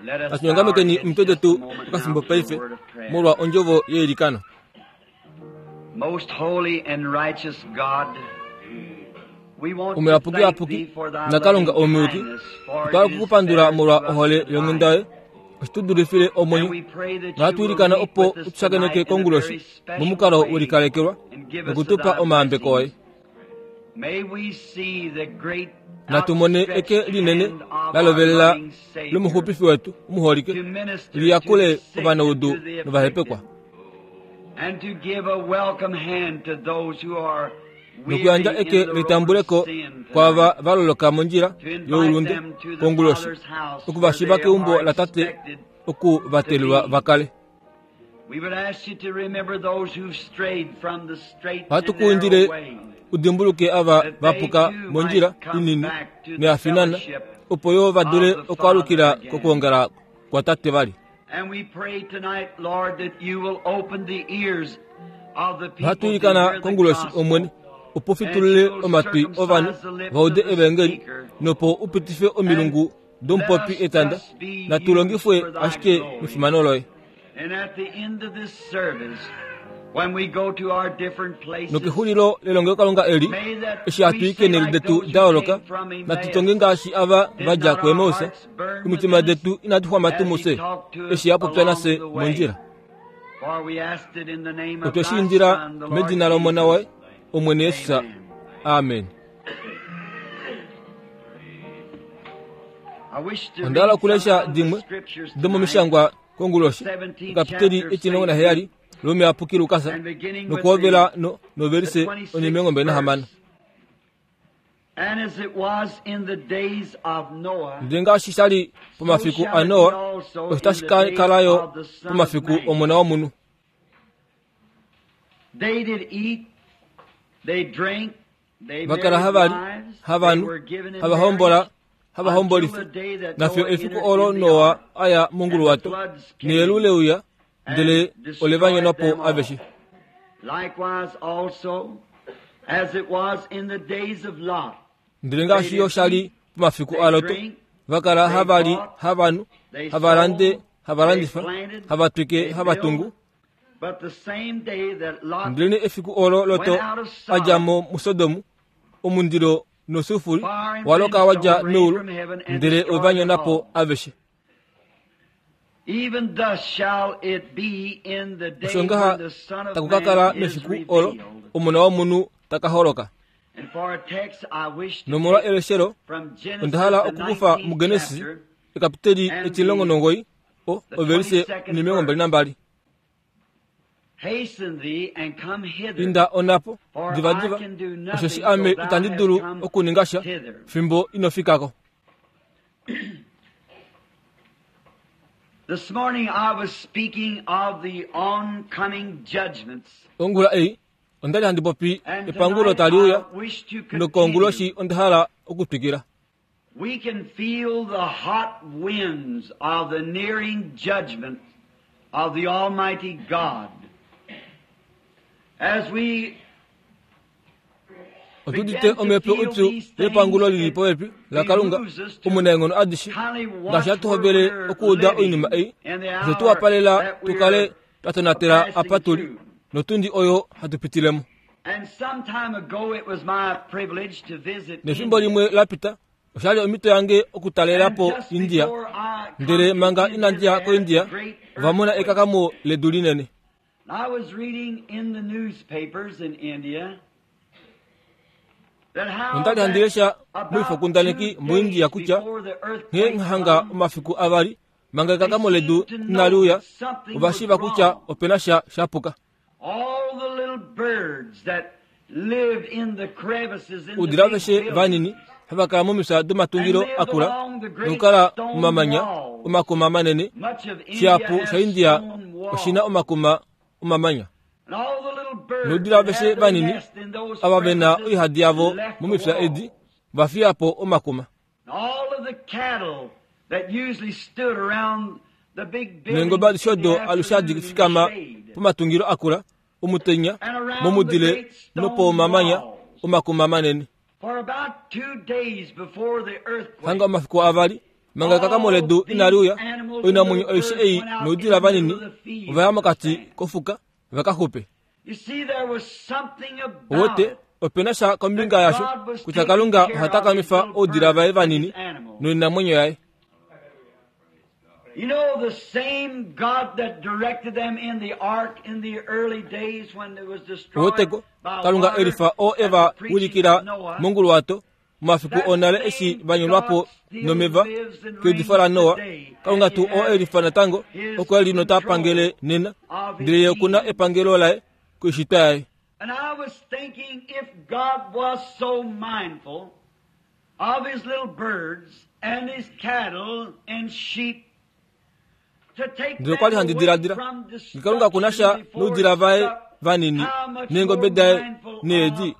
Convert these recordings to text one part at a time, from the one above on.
Natu nyongamekeni omitwe detu okafimbo paife molwa ondjovo yeilikano. Most holy and righteous God, we want to Omuyapuki thank yapuki thee for thy naKalunga loving omuyuki, kindness, for otwa it is okukupandula better molwa to us ohole than yonghenda life. yoye osho tu dulifile And omwenyo we pray that nohatu you will ilikana meet opo with us u tushakeneke tonight in a konguloshi very special momukalo way we likalekelwa and give us of nokutupa thy omayambeko oye. blessings. May we see the great Natu mone eke outstretched linene hand of la our lovelela loving Savior lomuxupifi wetu omuholike to minister to liyakule the sick and ovanaudu to the novahepekwa afflicted, and to give a welcome hand to those who are nokuyandja weary in eke the road of letambuleko sin kwaava tonight, va loloka mondjila to invite youlunde them to the konguloshi Father's house oku where va shiva they keumbo are la tate expected oku to vatelelwa be. va kale. We would ask you to remember those who've strayed from the straight Ohatu and ku indile narrow way, u dimbuluke ava that va they puka too mondjila might come inini back to the noya finana fellowship opo yo va dule of the okwaalukila Father again. kokwoongala kwa tate vali. And we pray tonight, Lord, that you will open the ears of the Ohatu people to ilikana hear the konguloshi gospel, Omwene opo and fitulule you will omatwi ovanhu circumcise the lips va of ude the evangeli speaker, nopo u pitife and omilungu let domupopi us etanda just be natu used longifwe for thy ashike glory. mefimano loye. And at the end of this service, when we go to our different places, Nokexulilo lelongelokalunga eli may that eshi hatu we i say keenhele like detu those da who yooloka came from natu Emmaus, tonge ngaashi ava did va dja not our kuEmaus hearts burn omitima within us detu inadi xwama tuu as he mufye talked to us eshi a popya along nafye the way? mondjila. For we asked it in the name of Otwe shi thy indila Son, the Lord medina lomona Jesus. waye Omwene Jesus. Amen. Amen. I wish to Onda hala read some okulesha out of the dimwe scriptures tonight, domomishangwa konguloshi 17th okapiteli chapter of etilongo St. naheyali Luke, lomuyapuki Lukas and beginning with nokuhovela the, no the novelise 26th onimilongo verse. And as it was in the days of Noah, Ndele ngaashi sha li so pomafiku shall it be aNoa, also osho in tashi the ka days kala yo of the Son of pomafiku Man. omona womunhu. They did eat, they drank, they Va kala married hava li, wives, hava they nu, were given in hava hombola, marriage hava until hombolifa. the day that Nafyo Noah efiku entered olo in the Noa ark, aya and the monguluwato, floods neyelu came leuya, ndele and ole va destroyed nyonwa po them all. aveshe. Likewise also, as it was in the days of Lot, Ndele they ngaashi yo did sha li eat, pomafiku they aLoto, drink, va kala they hava li, bought, hava nu, they hava lande, sold, hava they landifa, planted, hava twike, they hava tungu. built. But the same day that Lot Ndelene efiku olo Loto went out of a dja Sodom, mo muSodom, omundilo nosufuri fire and wa loka wa dja brimstone rained meulu from heaven and ndele ove va destroyed them nyona po all. aveshe. Even thus shall it be in the Osho day ngaha when the Son of taku ka kala Man is mefiku olo revealed. Omona womunhu ta ka holoka. And for a text I wish to Nomolwa take eleshelo from onda Genesis hala the okukufa 19th muGenesis chapter ekapiteli and etilongo the, nongoyi o the ovelise 22nd nemilongo mbali verse. nambali. Hasten thee and come hither, Inda onapo for I divadiva can do osheshi nothing ame till thou itandi hast dulu come okuninga sha hither. fimbo ino fikako. This morning I was speaking of the oncoming judgments, Ongula ei onda li handi popi and epangulo tonight tali uya I wish to continue. nokonguloshi onda hala okutwikila. We can feel the hot winds of the nearing judgment of the Almighty God. As we Otu udite begin to omhepo feel ipyu these yepangulo things, lili it popepi laKalunga behooves us to omunaenghono adishe kindly ngaashi watch hatu where hovele we're okuuda oinima living ei in the osho tu hour wapalela that tu kale we're twa tonatela passing apa tuli through. notundi oyo hatu pitilemo. And some time ago it was my privilege to visit Nefimbo India. limwe la pita oshali omhito yange okutalela And po just India before I come ndele to manga India, inandi ya they had a koIndia great ova mona earthquake. ekakamo ledu linene. I was reading in the newspapers in India that how Onda li handi that lesha about moifokundaneki 2 muIndia days kutya before the nghee earthquake hanga come, omafiku avali manga they ekakamo ledu seemed to inali know uya that something ova was shiiva kutya wrong. opena sha sha puka. All the little birds that lived in the crevices in the Oudila big aveshe vanini buildings hava kala momifya and domatungilo lived akula along the great nokukala stone momamanya walls. omakuma manene Much of India shihapu has sha India stone oshina walls. omakuma omamanya. And all the little birds Noudila that aveshe had their vanini nest in those ava ve na crevices oihadi yavo left the momifya edi walls. va fiya po omakuma. And all of the cattle that usually stood around the big Neengoba buildings adishe in the odo alushe hadi afternoon in the fikama shade pomatungilo akula omutenya and around the momudile great stone nopomamanya walls. omakuma manene. For about 2 days before the Hanga earthquake, omafiku avali Manga ekakamo ledu inali uya, oinamwenyo aishe ei noudila vanini ova ya mokati kofuka va ka xupe. Owete, ope na sha kombinga yasho kutya Kalunga oha takamifa oudila vaye vanini noinamwenyo yaye. You know, the same God that directed them in the ark in the early days when it was destroyed Oweteko, Kalunga elifa oo e va wilikila monguluwato momafiku onale eshi va nyolwa po nomeva keudifo laNoa. Kalunga tuu oo elifa natango oko e li nota pangele nena, ndele ye oku na epangelo laye koishitwa yaye. And I was thinking if God was so mindful of his little birds and his cattle and sheep to take Ndele okwa li handi diladila, Kalunga ku na sha noudila vaye vanini neengobe daye needi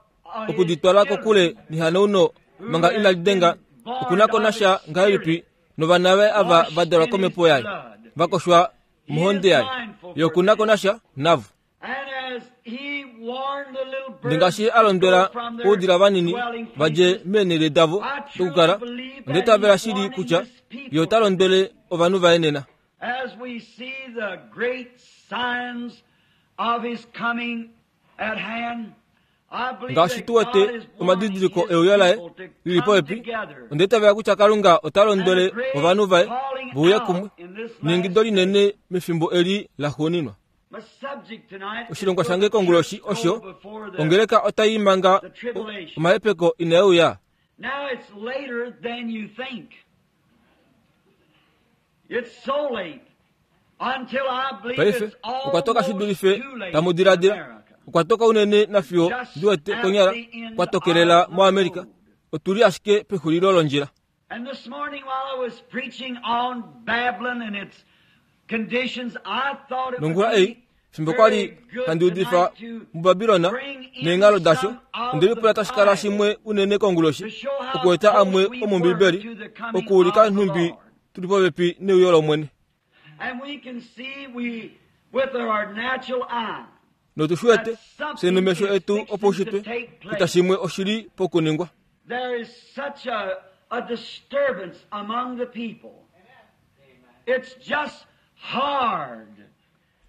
oku di twala kokule nehanauno manga inali denga, oku na ko na sha ngahelipi novana vaye ava va dalwa komhepo yaye, va koshwa mohonde yaye, ye oku na ko na sha navo. Ndele ngaashi a londwela oudila vanini va dje meenhele davo dokukala, onda itavela shili kutya ye ota londwele ovanhu vaye nena. As we see the great signs of his coming at hand, I believe Ngaashi that tu wete God is omadidiliko wanting his euyo laye people to lili come popepi, together. onda itavela kutya Kalunga ota londwele ovanhu vaye ve uye kumwe neingido linene mefimbo eli laxuuninwa. My subject tonight is Oshilongwa will shange the konguloshi church go osho before the- ongeleka otai manga omahepeko inae uya. Now it's later than you think. It's so late until I believe Paife it's okwa toka shi almost dulife too late tamu in diladila. America. Okwa toka unene nafiyo ndi wete konyala kwa tokelela moAmerica. Otuli ashike pexulilo londjila. And this morning while I was preaching on Babylon and its conditions, I thought it would Nongula ei be fimbo kwa li very good handi udifa tonight to muBabilona bring in neenghalo dasho, some of onde lipula the tashi kala Bible shimwe unene konguloshi to show how okueta close amwe we were omombibeli to the coming okuulika of the nhumbi Lord. tuli popepi neuyo lOmwene. And we can see we with our natural eye Notu shi wete fye nomesho etu opaushitwe kutya shimwe oshili pokuningwa. There is such a disturbance among the people. It's just hard.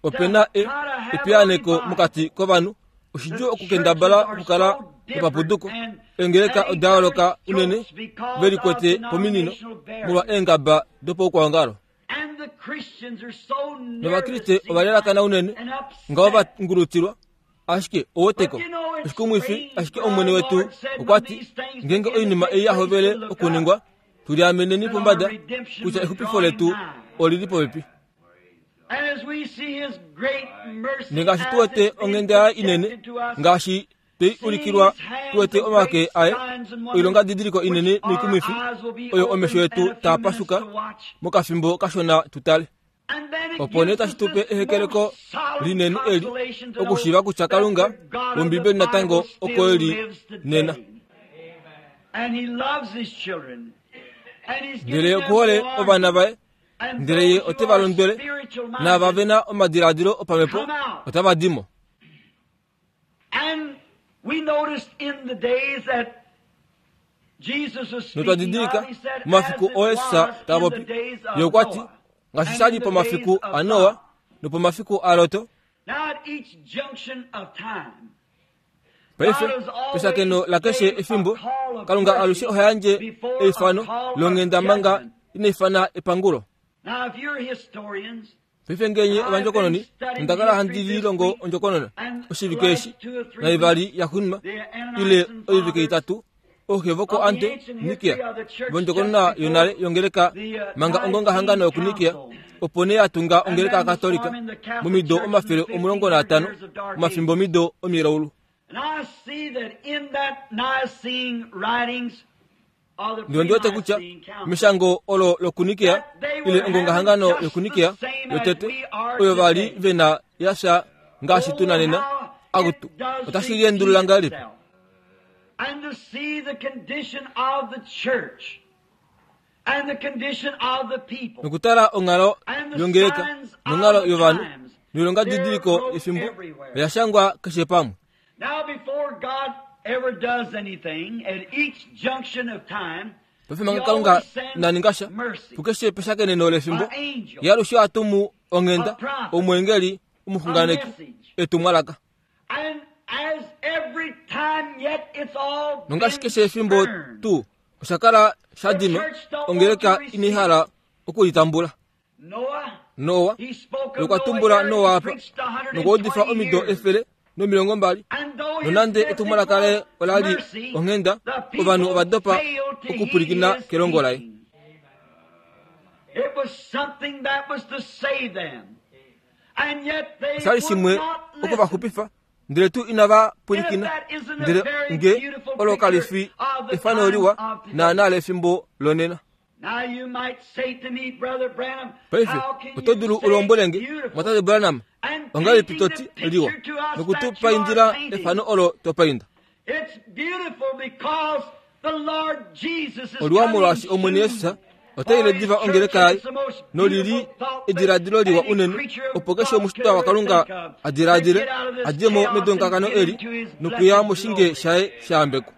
Ope na epiyaaneko mokati kovanhu, oshidjuu okukendabala okukala nopapuduko. Eengeleka oda yooloka unene ve likwete pominino molwa eengaba dopaukwaongalo. And the Christians are so Novakriste nervous ova lalakana unene and upset. ngaho va ngulutilwa, ashike oweteko oshikumwifi ashike Omwene wetu okwa ti ngeenge oinima ei ya hovele okuningwa, tuliameneni pombada kutya exupifo letu olili popepi. And as we see his great mercy Nengaashi tu as wete it's been onghenda yaye inene, projected to us, ngaashi twei ulikilwa tu wete omake aye oilongadidiliko inene noikumwifi oyo omesho yetu taa pashuka mokafimbo kashona tu tale. And then it Opo nee gives tashi us tu pe this ehekeleko most solid linene eli consolation to know okushiiva kutya that Kalunga the God of wOmbibeli the natango Bible oko still e li lives today. nena. And he loves his children. And he's Ndele giving them okuhole warning. ovana vaye, And ndele ye those who ote va are londwele, spiritual naava minded ve na omadiladilo opamhepo otava di mo. And we noticed in the days that Jesus was Notwa speaking didilika of, he said, as momafiku it oo Jesus was ta in the popi, days of ye okwa ti Noah ngaashi and sha li in the pomafiku days of aNoa Lot. nopomafiku aLot. Now at each junction of time, Paife peshakeno lakeshe efimbo, Kalunga alushe oha yandje eifano longhenda manga ina ifana epangulo. now if you're historians, Paife ngenye ovandjokononi, onda kala handi lilongo ondjokonona oshivike eshi naivali yaxuuninwa ile oivike itatu ooxe voko ante Nikia vondjokonona yonale yongeleka manga ongongahangano yokuNikia opo nee ya tunga ongeleka yaKatolika momido 150 omafimbomido omilaulu. and I see that in that Nicene writings of the Ndele ondi wete kutya pre-Nicene Council, meshango olo lokuNikia ile ongongahangano yokuNikia yotete oyo va li ve na ya sha ngaashi tu na nena, akutu otashi liendulula ngahelipi? And to see the condition of the church and the condition of the people. Nokutala onghalo And the yongeleka signs of nonghalo the yovanhu times, noilongadidiliko they're wrote yefimbo everywhere. oya shangwa keshe pamwe. Now, before God ever does anything at each junction of time, Paife manga Kalunga ina ninga sha pukeshe peshakeneno lefimbo, Ye alushe oha tumu onghenda, omweengeli, omuxunganeki, etumwalaka. Nongaashi keshe efimbo tuu osha kala sha dinwa, ongeleka inai hala oku li tambula. Noa, nokwa tumbula Noa apa, nokwa udifa omido 120, nonande etumwalaka laye ola li onghenda, ovanhu ova dopa okupwilikina kelongo laye. Osha li shimwe oku va xupifa, ndele tuu inava pwilikina. Ndele nge olo kali fi efano liwa naanaa lefimbo lonena. Paife oto dulu u lombwele nge, Mwatate Branham, ongahelipi to ti liwa noku tu paindila efano olo to painda? Oliwa molwaashi Omwene Jesus ota ile diva ongeleka yaye, noli li ediladilo liwa unene opo keshe omushitwa waKalunga a diladile a dje mo medonkakano eli nokuya moshinge shaye sha yambekwa.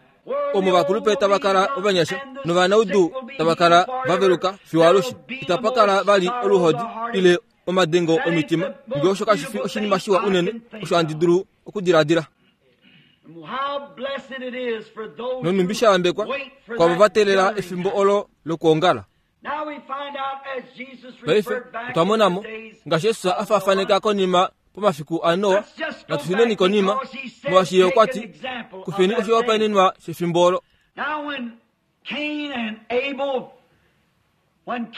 Omo ovakulupe tava kala ovanyasha novanaudu tava kala va veluka fiyo alushe. Itapa kala vali oluhodi ile omadengo omitima. Nge osho kashi fi oshinima shiwa unene osho handi dulu okudiladila. Nonhumbi sha yambekwa kwavo va teelela efimbo olo lokwoongala. Paife otwa mona mo, ngaashi Jesus a faafaneka konima pomafiku aNoa, natu shuneni konima, molwaashi ye okwa ti, Kufeni oshihopaenenwa shefimbo olo.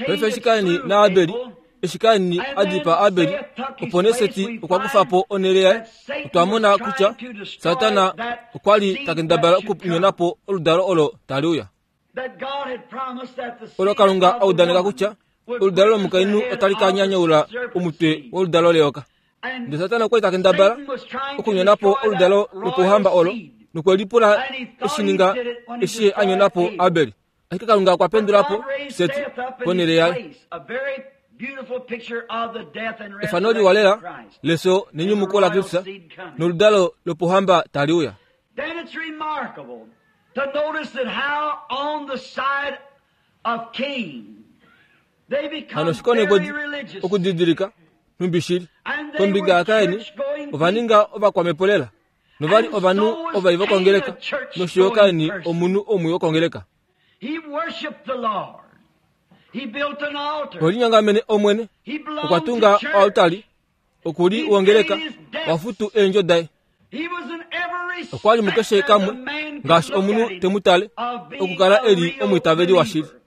Paife eshi Kain naAbeli, eshi Kain a dipaa Abeli, opo nee Seti okwa kufa po onhele yaye, otwa mona kutya Satana okwa li ta kendabala okunyona po oludalo olo tali uya. Olo Kalunga a udaneka kutya oludalo lomukainhu otali ka nyanyaula omutwe woludalo leyoka. Ndele Satana okwa li ta kendabala okunyona po oludalo lopouhamba olo nokwe lipula eshi ninga eshi ye a nyona po Abel. Ashike Kalunga okwa pendula po Seti ponhele yaye. Efano liwa lela lefyo nenyumuko laKristus noludalo lopouhamba tali uya. Then it's remarkable to notice that how on the side of Cain they become Hano shikonekwe very religious. okudidilika nhumbi shili And they kombinga were yaKaini church-going ova ninga ovakwamhepo lela novali And ovanhu so was ovai vokongeleka Cain a church-going nosho yo Kaini person. omunhu omwii wokongeleka. He worshiped the Lord. He built an altar. Okwe Omwene He belonged okwa to tunga church. oaltari oku li wongeleka wa futu eendjo daye. He was in every Okwa li mukeshe respect kamwe as a man could ngaashi look omunhu at him, te mu tale of being okukala a e li real omwiitaveli washili. believer.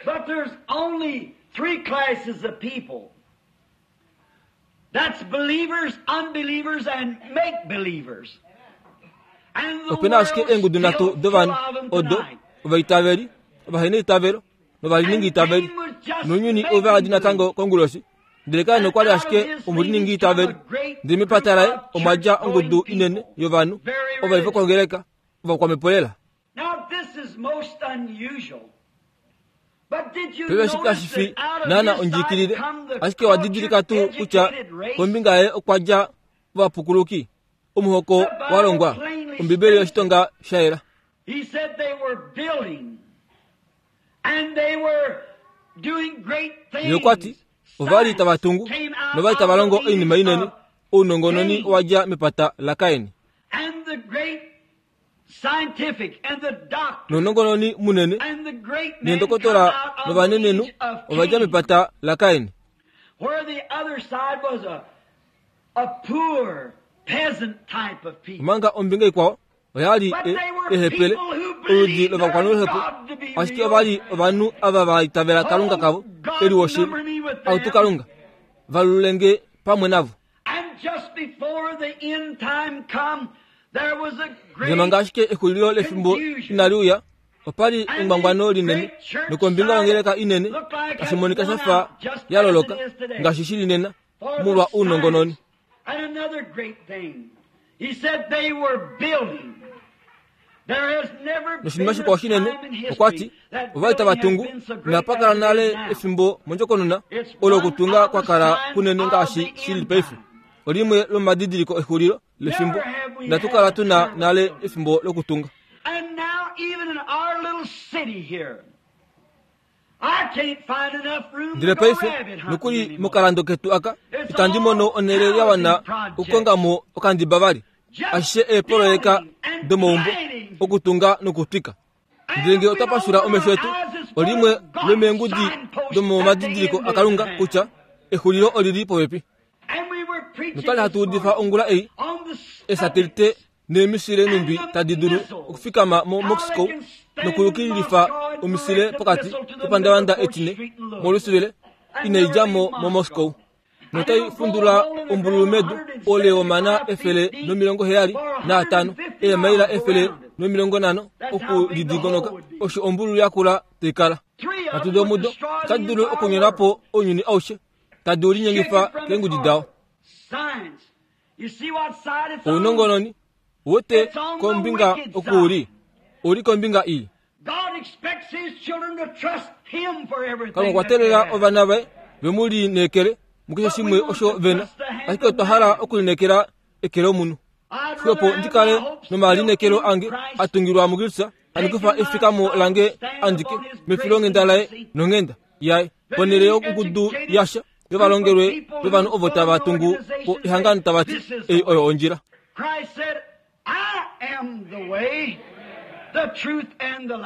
But there's only three classes of people. That's believers, unbelievers, and make-believers. And the Ope na ashike world's eengudu nhatu still full dovanhu of them odo tonight. ovaitaveli, ovaheneitavelo novaliningi itaveli. Nounyuni ove hadi natango konguloshi. Ndele Kain okwa li ashike omuliningi itaveli. Ndele mepata laye omwa dja ongudu inene yovanhu ovai vokongeleka ovakwamhepo lela. Now this is most unusual. But did you Paife eshi notice kashi fi that out of naana his ondjiikilile, side come the ashike wa didilika tuu cultured, kutya educated race? kombinga yaye okwa dja ovapukuluki, omuhoko wa longwa, Ombibeli yoshitonga sha yela. He said they were building and they were doing great Ye okwa ti, things. ova li tava tungu Came out nova li tava of longo the oinima inene, of ounongononi owa dja mepata laKain. And the great scientific and the doctor Nounongononi munene and the great men come neendokotola out of the novanenenhu lineage of ova dja Cain. mepata laKain. Where the other side was a poor peasant type of people. Omanga ombinga ikwao oya li But they were ehepele, people who oludi believed their lovakwanuhepo, God to be ashike real. ova li ovanhu ava va itavela Kalunga kavo e li woshili. number me with them. Autu Kalunga, valulenge pamwe navo. And just before the end time come, there was a Ndele great manga ashike exulilo lefimbo inali uya, opa li engwangwano linene nokombinga yongeleka inene tashi monika sha fa ya loloka ngaashi shi li nena for the molwa ounongononi. science. And another great thing, he said they were building. There has never been Noshinima a shikwao shinene time in history okwa ti that ova li tava building tungu has been so great inapa kala as it nale is now. efimbo mondjokonona It's olo one okutunga of kwa the kala signs kunene of ngaashi the shi li end paife. time. Olimwe lomadidiliko exulilo lefimbo Never have we inatu had kala a tuna time nale of building. efimbo lokutunga. And now Ndele paife, nokuli mokalando ketu aka, itandi mono onhele ya wana okukonga mo okandiba vali. Ashishe eepoloyeka domaumbo, okutunga nokutwika. Ndele ngee otwa pashula omesho etu, olimwe lomeengudi domomadidiliko aKalunga kutya exulilo oli li popepi. Notwali hatu udifa ongula ei, esatelite neemisile nhumbi tadi dulu okufikama moMoscow nokuyukililifa omisile pokati kepandavanda etine moLouisville inai dja mo moMoscow. Notai fundula ombululu medu oule womana 175, eemaila 150 okulidingonoka, osho ombululu yakula tai kala. Nhatu domudo otadi dulu okunyona po ounyuni aushe, tadi u linyengifa keengudi dao. Ounongononi wete kombinga oku u li, u li kombinga ii. Kalunga okwa teelela ovana vaye ve mu lineekele mukeshe shimwe osho ve na, ashike otwa hala okulineekela eke lomunhu. Xwepo ndi kale nomalineekelo ange a tungilwa muKristus, handi kufa efikamo lange andike mefilonghenda laye nonghenda yaye, ponhele yongudu yasha yovalongelwe yovanhu ovo tava tungu po ehangano tava ti, Ei oyo ondjila.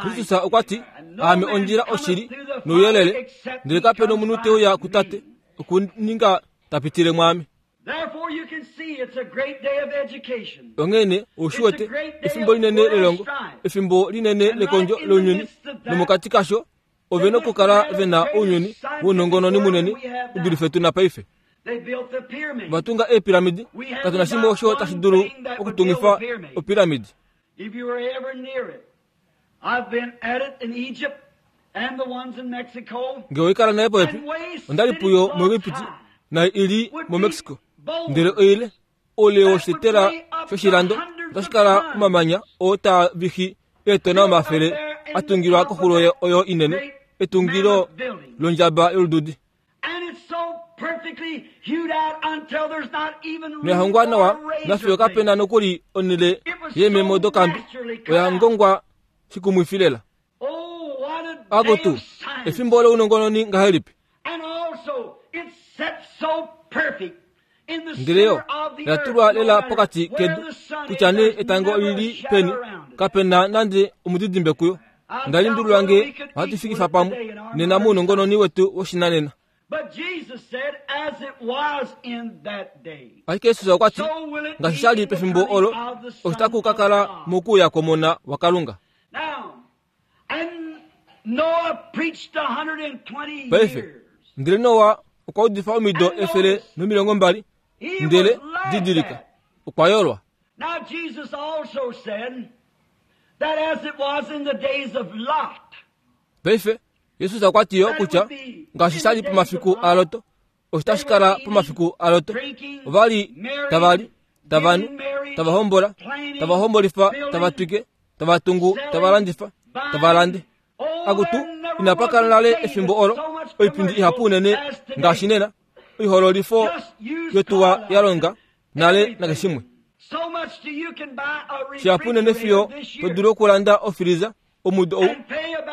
Kristus okwa ti, Aame ondjila, oshili nouyelele, ndele kape nomunhu te uya kuTate okuninga ta pitile mwaame. Onghee nee, ou shi wete, efimbo linene lelongo, efimbo linene lekondjo lounyuni, nomokati kasho ove nokukala ve na ounyuni wounongononi munene u dulife tu na paife. Ova tunga eepiramidi, katu na shimwe osho tashi dulu okutungifa opiramidi. Nge oi kala naye popepi, onda li puyo muEgipiti, nayo i li moMexico, ndele oile oule woshitetela shoshilando otashi kala omamanya oo taa vixi eetona omafele a tungilwa koxulo oyo inene, etungilo londjaba yolududi. Noya hongwa nawa nafiyo kape na nokuli onhele yeememo dokambi, oya ngongwa shikumwifi lela. Akutu, efimbo lounongononi ngahelipi! Ndele yo oya tulwa lela pokati kedu, kutya nee etango oli li peni, kape na nande omudidimbe kuyo. Onda lundulula nge ohatu fikifa pamwe nena mounongononi wetu woshinanena. Ashike Jesus okwa ti, ngaashi sha li pefimbo olo, osho taku ka kala mokuuya kwOmona waKalunga. Paife, ndele Noa okwa udifa omido 120, ndele didilika, okwa yolwa. Paife, Jesus okwa ti yo kutya ngaashi sha li pomafiku aLot, osho tashi kala pomafiku aLot. Ova li tava li, tava nu, tava hombola, tava hombolifa, tava twike, tava tungu, tava landifa, tava lande. Akutu, inapa kala nale efimbo olo oipindi ihapu unene ngaashi nena, oihoololifo yotuwa ya longa nale nakeshimwe. Shihapu unene fiyo to dulu okulanda ofiliza omudo ou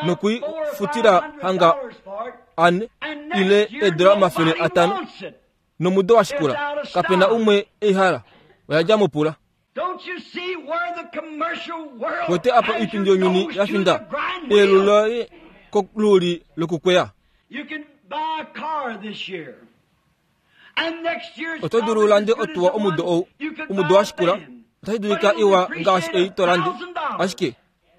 noku i futila hanga ane ile eedola 500, nomudo wa shikula kape na umwe ei hala. Oya dja mopula. Wete apa oipindi younyuni ya finda eyelu loye koluuli lokukweya. Oto dulu u lande otuwa omudo ou, omudo wa shikula otashi dulika iwa ngaashi ei to lande, ashike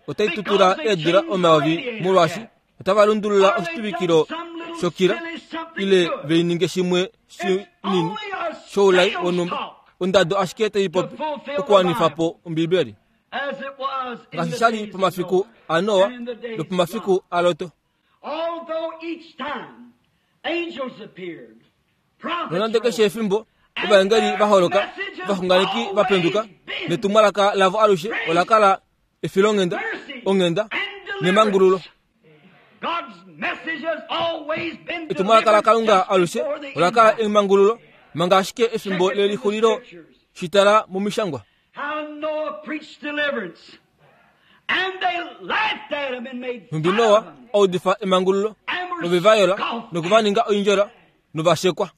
otai tutula eedula omayovi molwaashi otava lundulula oshituvikilo shokila ile ve ninge shimwe shinini shoulai wonhumba, ondado ashike tai popi okuwanifa po Ombibeli. Ngaashi sha li pomafiku aNoa nopomafiku aLot. Nonande keshe efimbo ovaengeli va holoka, ovaxunganeki va penduka, netumwalaka lavo alushe ola kala efilonghenda, onghenda nemangululo. Etumwalaka laKalunga alushe ola kala emangululo, manga ashike efimbo lelixulilo shi tala momishangwa. Nhumbi Noa a udifa emangululo, nove va yola noku va ninga oindjola nova shekwa.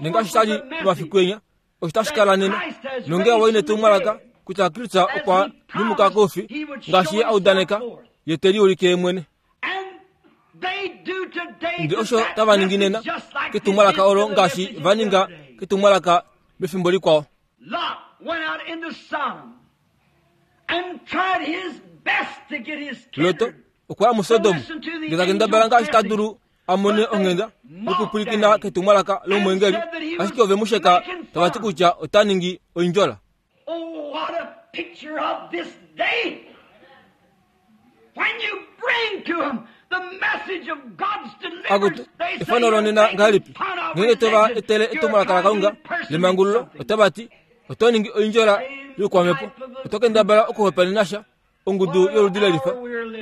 Nengaashi sha li momafiku enya, osho tashi kala nena. Nongee owa i netumwalaka kutya Kristus okwa nyumuka koufi ngaashi ye a udaneka, ye te liulike ye mwene. Ndele osho tava ningi nena ketumwalaka olo ngaashi va ninga ketumwalaka mefimbo likwao. Lot okwa ya muSodom ndele ta kendabala ngaashi ta dulu a mone onghenda nokupwilikina ketumwalaka lomweengeli, ashike ove mu sheka tava ti kutya ota ningi oindjola. Oh, what a picture of this day! When you bring to them the message of God's Akutu, deliverance, they say efano you're lonena making ngahelipi fun of ngeenge to va religion. etele You're etumwalaka trying to laKalunga impersonate lemangululo something. otava ti oto ningi oindjola youkwamhepo oto kendabala okuhopaenena sha ongudu yoludi lelifa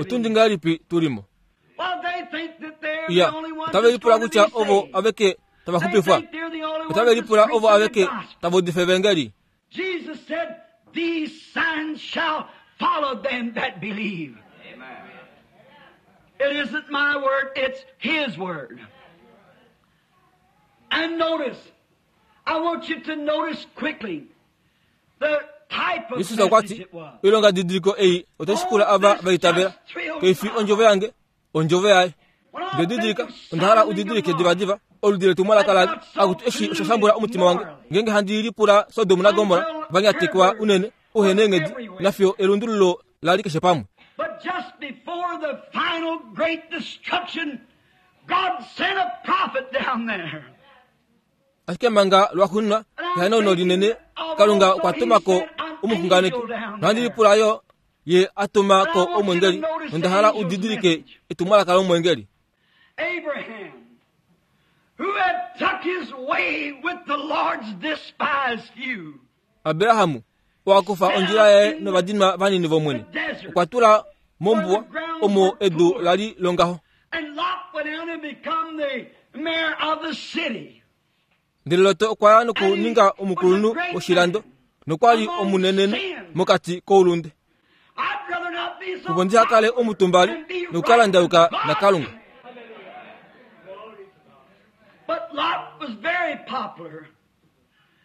otundi ngahelipi tu li mo Well, they think that they're the iya only ones otave that's lipula going to kutya be ovo saved. aveke tava They xupifwa think they're the only otave ones that's lipula ovo preaching the aveke gospel. tava udifa evangeli Jesus said, These signs shall follow them that believe. It isn't my word, it's His word. And notice, I want you to notice quickly the type of Jesus okwa message ti it was. oilonga didiliko ei otai shikula ava va itavela keifi ondjovo yange ondjovo yaye When I ndididilika think of onda hala Sodom u and didilike Gomorrah, divadiva oludi letumwalaka lali akuti eshi osha shambula omutima wange ngeenge handi lipula Sodom naGomorra va nyatekwa unene uhena eenghedi nafiyo elundululo lali keshe pamwe But just before the final great destruction, God sent a prophet down there. ashike manga lwaxuuninwa ehanauno linene Kalunga okwa tuma ko omuxunganeki nohandi lipula yo ye a tuma ko omwengeli nonda hala u didilike etumwalaka lomwengeli Abraham, who had took his way with the Lord's despised few, Abrahamu owa kufa ondjila yaye novadinwa vanini vOmwene okwa tula mombuwa omo edu lali longaho and Lot went out and become the mayor of the city. ndele Lot okwa ya nokuninga omukulunhu woshilando nokwa li omunenenhu mokati koulunde I'd rather not be so opo ndi hakale omutumbali and be nokukala right ndayuka with God. naKalunga But Lot was very popular.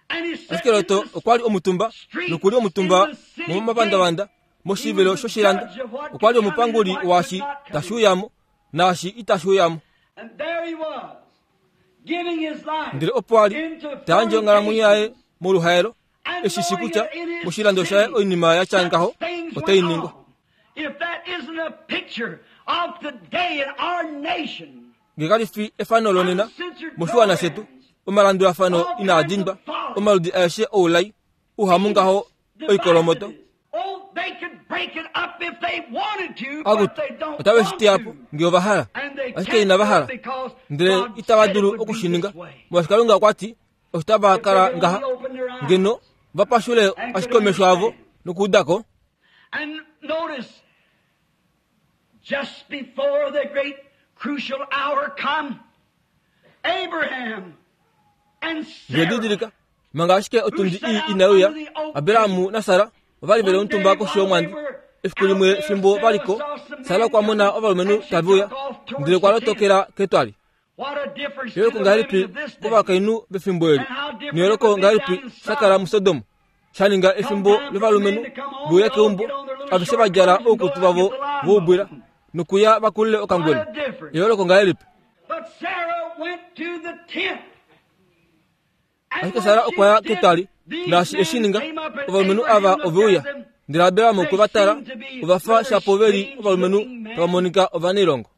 And he sat ashike in Lot the okwa li omutumba nokuli omutumba momapandavanda moshivelo shoshilando okwa li omupanguli waashi tashi uyamo naashi itashi uyamo And there he was, giving his life ndele opo a li into ta yandje onghalamwenyo yaye moluhaelo And eshi shi knowing kutya that in his moshilando shaye city oinima ya tya ngaho such things otai went ningwa on. If that isn't a picture of today in our nation, nge kali fi efano lonena moshiwana shetu omalandulafano inaa dindwa omaludi aeshe oulai uhamu ngaho oikolomoto Oh, they could break it up if they wanted to, but akutu they don't otave shi want teya po to. nge ova hala And they ashike can't inava do it hala because ndele God itava said it dulu would be oku shi ninga this way. molwaashi Kalunga okwa ti osho tava If kala they ngaha only open their eyes. ngeno va pashule ashike omesho avo nokuuda ko And notice, just before the great crucial hour come, Abraham and Ndele Sarah, didilika manga ashike otundi ii inai uya Abrahamu naSara ova li veli omutumba koshi yomwandi efiku limwe fimbo va li ko Sara okwa mona ovalumenhu tave uya ndele okwa lotokela ketwali what a difference to eyooloko the ngahelipi women of this day. kovakainhu vefimbo eli neyooloko ngahelipi sha kala muSodom sha ninga efimbo lovalumenhu veuya keumbo aveshe va djala oukutu vavo voubwila nokuya va kulile okangwena eyooloko ngahelipi But Sarah went to the tent. And ashike when Sara she okwa ya did, ketwali these naashi men eshi ninga came up and ovalumenhu Abraham ava looked ove uya at them. ndele Abraham okwe va tala They seemed to be ova fa rather shapo ve li strange ovalumenhu looking men. tava monika ovanailongo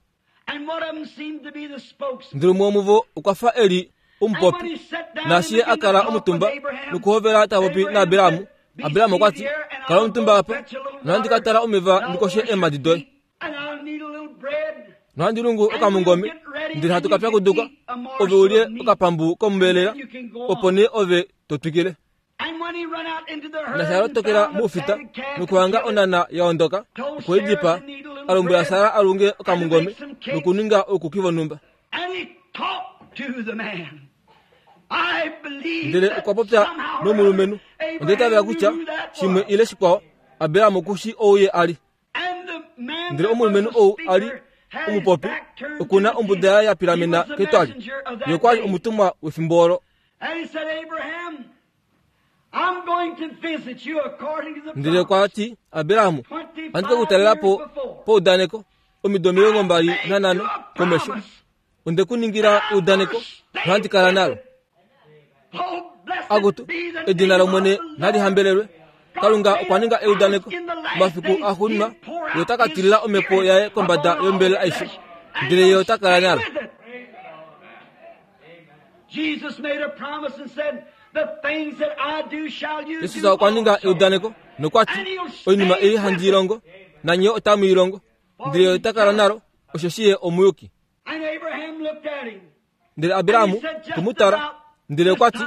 And one of them seemed to be the spokesman. ndele umwe womuvo okwa fa e li And when omupopi he sat down naashi and ye a began to kala talk omutumba with Abraham, nokuhovela ta popi Abraham naAbrahamu said, "Be Abrahamu okwa ti seated here, and kala I'll omutumba go apa fetch a little nohandi ka water, tala omeva and I'll ndikoshe wash your eemhadi doye feet, and I'll knead a little bread, nohandi lungu and we'll okamungome get ready, ndele hatu and ka you can pyakuduka eat a ove morsel ulye of meat, okapambu kombelela and then you can go opo on." nee ove to twikile And when he run out into the herd naashi a and lotokela found the moufita fatted calf and nokuhanga killed it, onana ya ondoka told okwe i Sarah dipaa to knead a little a lombwela bread Sara a lunge and to okamungome make some cakes. nokuninga oukuki vonhumba And he talked to the man. I believe ndele that okwa popya somehow or nomulumenhu other Onda itavela kutya shimwe ile shikwao, Abraham oku shii ou ye a li. Ndele omulumenhu ou a li omupopi oku na ombuda yaye ya pilamena ketwali. Ye okwa li omutumwa wefimbo olo. Ndele okwa ti, Abraham, ohandi ke ku talela po paudaneko omido 25 komesho. Onde ku ningila eudaneko nohandi kala nalo. Akutu, edina lOmwene nali hambelelwe. Kalunga okwa ninga eudaneko mafiku axuuninwa ye ota ka tilila omhepo yaye kombada yombelela aishe, ndele ye ota kala nalo. Jesus okwa ninga eudaneko nokwa ti, Oinima ei handi i longo, nanye otamu i longo, ndele ye ota kala nalo, osheshi ye omuyuki. Ndele Abraham okwe mu tala, ndele okwa ti,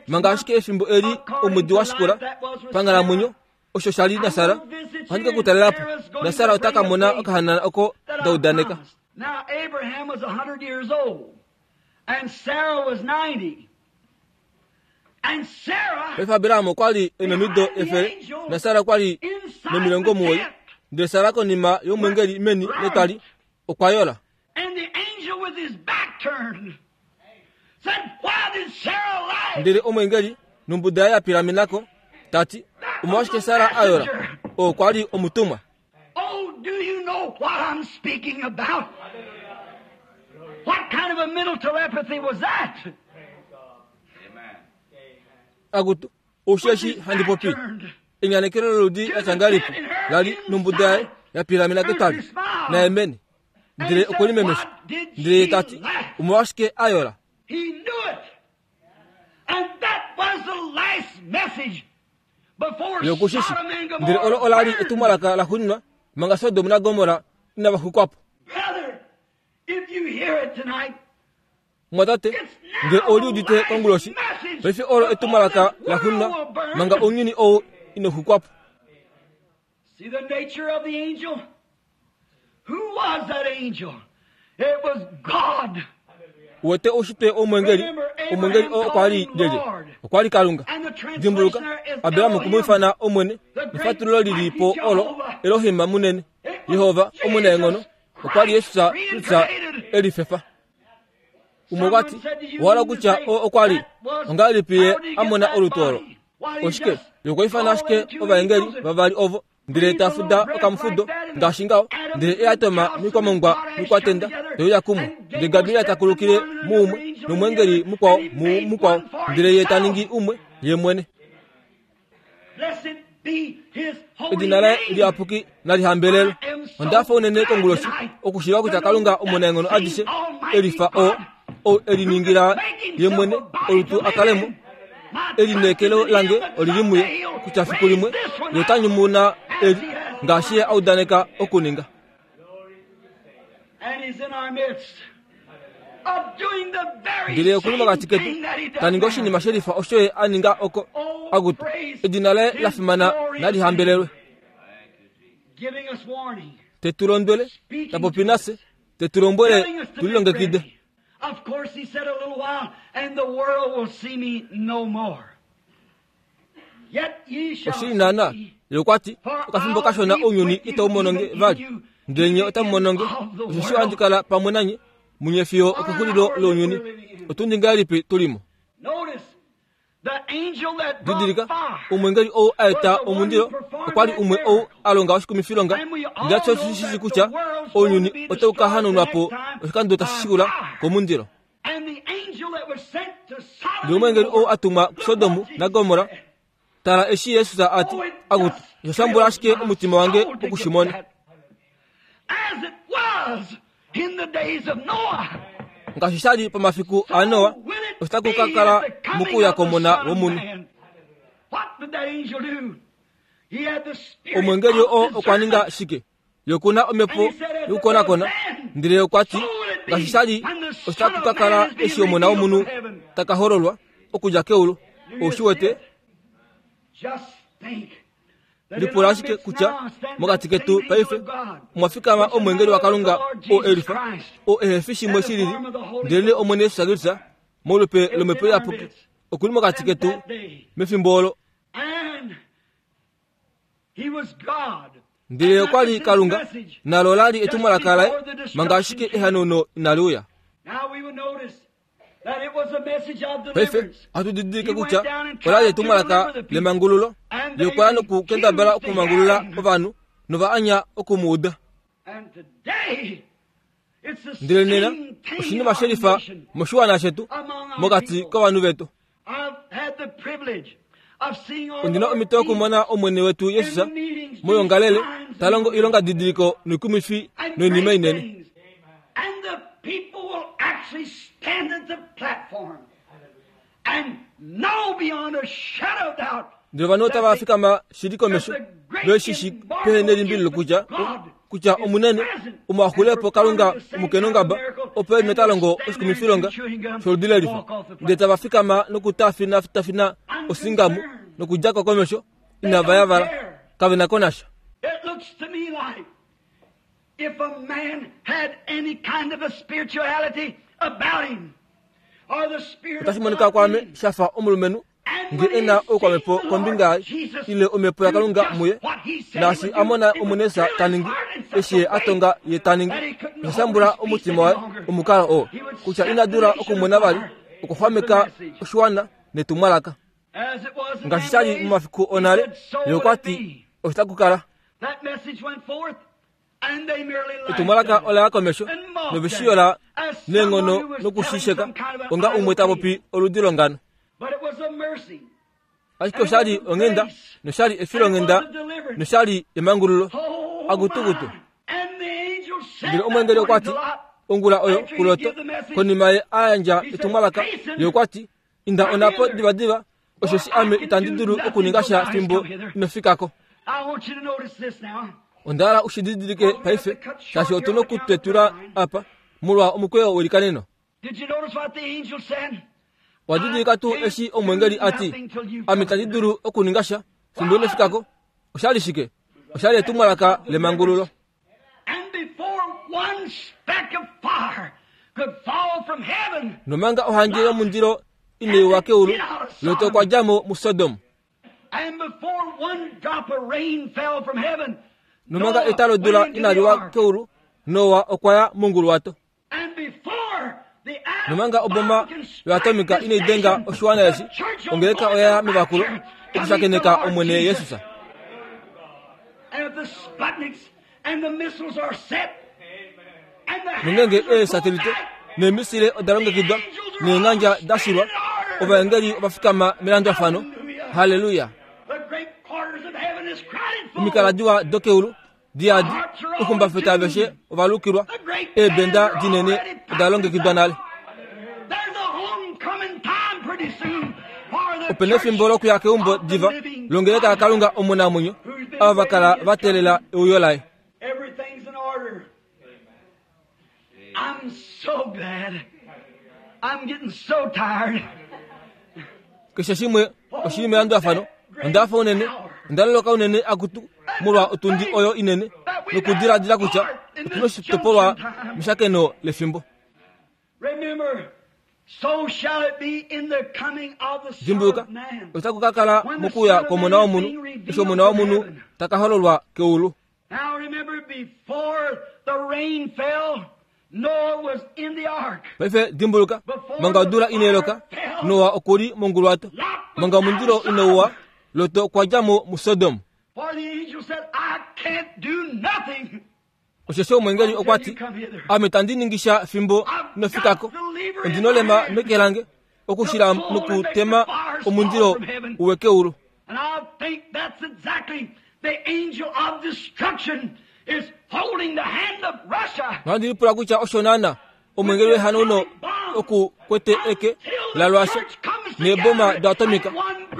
Manga ashike efimbo eli omwedi wa shikula panghalamwenyo, osho sha li naSara, ohandi ke ku talela po, naSara ota ka mona okahanana oko nda udaneka. Paife Abraham okwa li e nomido 100, naSara okwa li no90. Ndele Sara konima yomwengeli meni letwali okwa yola. Ndele omweengeli nombuda yaye ya pilamena ko, ta ti, Omolwashike Sara a yola? Oo kwa li omutumwa. Oh, do you know what I'm speaking about? What kind of a mental telepathy was that? Akutu, osheshi handi popi. Enyanekelo loludi la tya ngahelipi la li nombuda yaye ya pilamena ketwali, naye meni. Ndele okwe limemesha, ndele ye ta ti, Omolwashike a yola? He knew it. And that was the last message before Ye oku shi shi. Sodom and Ndele olo Gomorrah ola li burned. etumwalaka laxuuninwa manga Sodom naGomorra inava xwikwa po. Brother, if you hear it tonight, Mumwatate, ngee ou liudite konguloshi, paife olo etumwalaka laxuuninwa manga ounyuni ou ino xwikwa po. See the nature of the angel? Who was that angel? It was God. Uwete oushitwe womwengeli, omwengeli oo okwa li lyelye? Okwa li Kalunga. Dimbuluka, Abraham okwe mu ifana Omwene, nefatululo li li po olo Elohim munene, Jehova omunaenghono, okwa li Jesus Kristus e lifefa. Umwe okwa ti, Owa hala okutya oo okwa li ongahelipi ye a mona olutu olo? Oshike? Ye okwa ifana ashike ovaengeli vavali ovo ndele ta fuda okamufudo ngaashi ngaho, ndele e a toma mikwamongwa mikwatenda te uya kumwe. Ndele Gabriel ta kulukile muumwe nomweengeli mukwao mumukwao, ndele ye ta ningi umwe ye mwene. Blessed be his holy Edina laye name. liyapuki nali hambelelwe. Onda fa unene konguloshi okushiiva kutya Kalunga omunaenghono adishe e lifa oo, ou e liningila ye mwene olutu a kale mo. Elineekelo lange oli li muye kutya fiku limwe ye ota nyumuna eli ngaashi ye a udaneka okuninga. And he's in our midst of doing the very Ndele okuli same mokati ketu thing that he ta does ningi now. oshinima she lifa osho ye a ninga oko. Akutu, edina laye la fimana nali hambelelwe. Giving us warning. Te tu londwele, ta popi nafye, te tu lombwele Telling us to tu be lilongekide. ready. Of course, he said a little while, and the world will see me no more. Yet ye shall Oshili naana, see me. ye okwa ti, okafimbo kashona ounyuni itau mono nge vali, ndele nye otamu mono nge, osheshi ohandi kala pamwe nanye munye fiyo okexulilo lounyuni. Otundi ngahelipi tu li mo? Notice, the angel that brought Didilika, fire omwengeli ou a eta omundilo okwa li umwe ou a longa oshikumifilonga, ndele osho shi shii kutya ounyuni otau ka hanaunwa po oshikando tashi shikula komundilo. and the angel that was sent to Sodom Ndele omwengeli and ou a tumwa kuSodom naGomorra, tala eshi Jesus a ti, Akutu, osha shambula ashike omutima wange oku shi mona. As it was in the days of Noah. Ngaashi sha li pomafiku aNoa, Will it osho taku ka be kala at the coming mokuuya of the kOmona Son of wOmunhu. Man? What did that angel do? He had the spirit Omwengeli of oo okwa ninga discernment. shike? Ye oku na omhepo yokukonakona, ndele ye okwa ti, Ngaashi sha li, osho taku ka kala eshi Omona wOmunhu ta ka hololwa okudja keulu. Ou shi wete? Just think that in Lipula our ashike midst kutya now stands mokati that ketu same paife angel of God, omwa fikama which is omwengeli none waKalunga other than the oo Lord e Jesus lifa, Christ, oo ehe fi shimwe shi lili, ndelenee Omwene Jesus Kristus molupe lOmhepo Iyapuki, oku li mokati And ketu that day, mefimbo olo. Ndele okwa li Kalunga, nalo ola li etumwalaka laye manga ashike ehanauno inali uya. Paife ohatu didilike kutya ola li etumwalaka lemangululo. Ye okwa ya nokukendabala okumangulula ovanhu, nova anya oku mu uda. Ndele nena oshinima shelifa moshiwana shetu, mokati kovanhu vetu. Ondi na omhito yokumona Omwene wetu Jesus moyoongalele ta longo oilongadidiliko noikumwifi noinima inene. Ndele ovanhu otava fikama shili komesho ve shi shi pehe nelimbililo kutya kutya omunene omuaxulepo Kalunga omukenongaba opo e li nota longo oshikumifilonga sholudi lelifa ndele tava fikama nokutafinatafina osingamu nokudja ko komesho inava yavala kave na ko nasha. If a man had any kind of a spirituality about him, Otashi monika kwaame sha fa omulumenhu nge e na oukwamhepo kombinga yaye ile omhepo yaKalunga muye, naashi a mona Omunesa ta ningi, eshi ye a tonga ye ta ningi, osha shambula omutima waye omukalo oo kutya ina dula okumona vali okuxwameka oshiwana netumwalaka. Ngaashi sha li momafiku onale, ye okwa ti, Osho taku kala. Etumwalaka ola ya komesho nove shi yola neenghono noku shi sheka onga umwe ta popi oludi longano. Ashike osha li onghenda nosha li efilonghenda nosha li emangululo. Akutukutu. Ndele omweengeli okwa ti, ongula oyo kuLot, konima ye a yandja etumwalaka, ye okwa ti, Inda onhapo divadiva, osheshi ame itandi dulu okuninga sha fimbo ino fika ko. Onda hala u shi didilike paife, shaashi otu nokutetula apa molwa omukweyo welikaneno. Owa didilika tuu eshi omwengeli a ti, Ame itandi dulu okuninga sha fimbo ino fika ko? Osha li shike? Osha li etumwalaka lemangululo. Nomanga ohandje yomundilo inai wa keulu, Lot okwa dja mo muSodom. Nomanga eta lodula inali wa keulu, Noa okwa ya monguluwato. Nomanga oboma yoatomika inai denga oshiwana eshi, ongeleka oya ya mevakulo okushakeneka Omwene Jesus. Nongeenge eesatelite neemisile oda longekidwa neengandja da shilwa, ovaengeli ova fikama melandulafano. Halleluya! Omikala diwa dokeulu diyadi okumbafeta aveshe ova lukilwa eebenda dinene oda longekidwa nale. Ope na efimbo lokuya keumbo diva longeleka yaKalunga omunamwenyo, ava va kala va teelela euyo laye. Keshe shimwe oshi li melandulafano. Onda hafa unene, onda loloka unene akutu molwa otundi oyo inene nokudiladila kutya otu na oshitopolwa meshakeno lefimbo. Dimbuluka, otaku ka kala mokuuya kwOmona wOmunhu, eshi Omona wOmunhu ta ka hololwa keulu. Paife dimbuluka, manga odula inai loka, Noa oku li monguluwato. Manga omundilo inau wa, Lot okwa dja mo muSodom. Osheshi omweengeli okwa ti, Ame itandi ningi sha fimbo ino fika ko. Ondi nolema meke lange okushila nokutema omundilo u we keulu. Nohandi lipula kutya osho naana omweengeli wehanauno oku kwete eke laRussia neeboma doatomika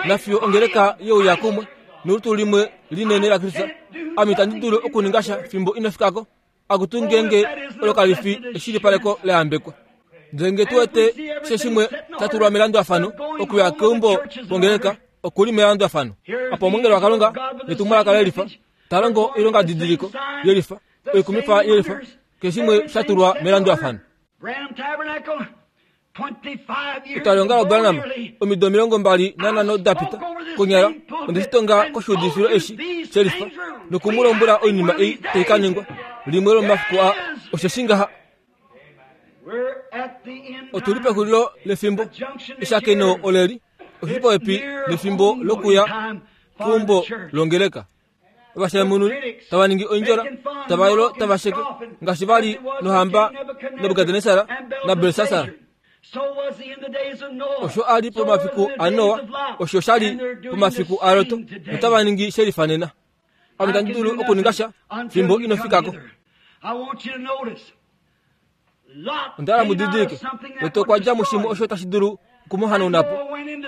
nafiyo ongeleka yeuya kumwe nolutu limwe linene laKristus. Ame itandi dulu okuninga sha fimbo ino fika ko. Akutu ngeenge olo kali fi eshilipaleko la yambekwa. Ndele nge tu wete keshe shimwe sha tulwa melandulafano okuya keumbo kwongeleka oku li melandulafano. Apa omweengeli waKalunga netumwalaka lelifa ta longo oilongadidiliko yelifa, oikumifa yelifa, keshe shimwe sha tulwa melandulafano. Etwalihongalo laBranham, omido 25 da pita, konyala, onde shi tonga koshiudifilo eshi shelifa, noku mu lombwela oinima ei tai ka ningwa limwe lomomafiku aa. Osheshi ngaha. Otu li pexulilo lefimbo. Eshakeno oleli. Oshi li popepi nefimbo lokuya keumbo longeleka. Ovashamununi tava ningi oindjola, tava yolo tava sheke, ngaashi va li nohamba Nebukadnesar naBelsasar. Osho a li pomafiku aNoa, osho sha li pomafiku aLot, notava ningi she lifanena. Ame itandi dulu okuninga sha fimbo ino fika ko. Onda hala mu didilike, Lot okwa dja mushimwe osho tashi dulu oku mu hanauna po,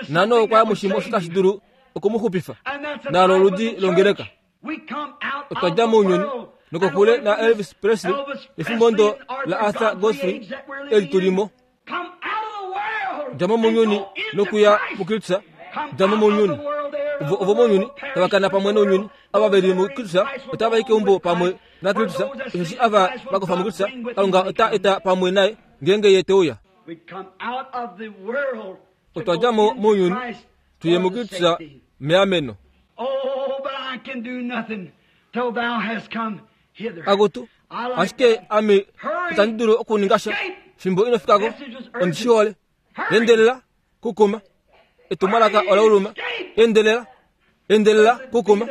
naNoa okwa ya mushimwe osho tashi dulu oku mu xupifa, naalo oludi longeleka. Otwa dja mounyuni, nokokule naElvis Presley nefimbo ndo laArthur Godfrey eli tu li mo. Dja mo mounyuni nokuya muKristus, dja mo mounyuni. Ovo ovomounyuni tava kana pamwe nounyuni, ava ve li muKristus otava i keumbo pamwe naKristus, osheshi ava va kofa muKristus, Kalunga ota eta pamwe naye ngeenge Ye te uya. Otwa dja mo mounyuni tu ye muKristus meameno. Akutu, ashike ame itandi dulu okuninga sha fimbo ino fika ko. Ondi shi hole. Endelela, kukuma. Etumwalaka ola uluma. Endelela, endelela, kukuma.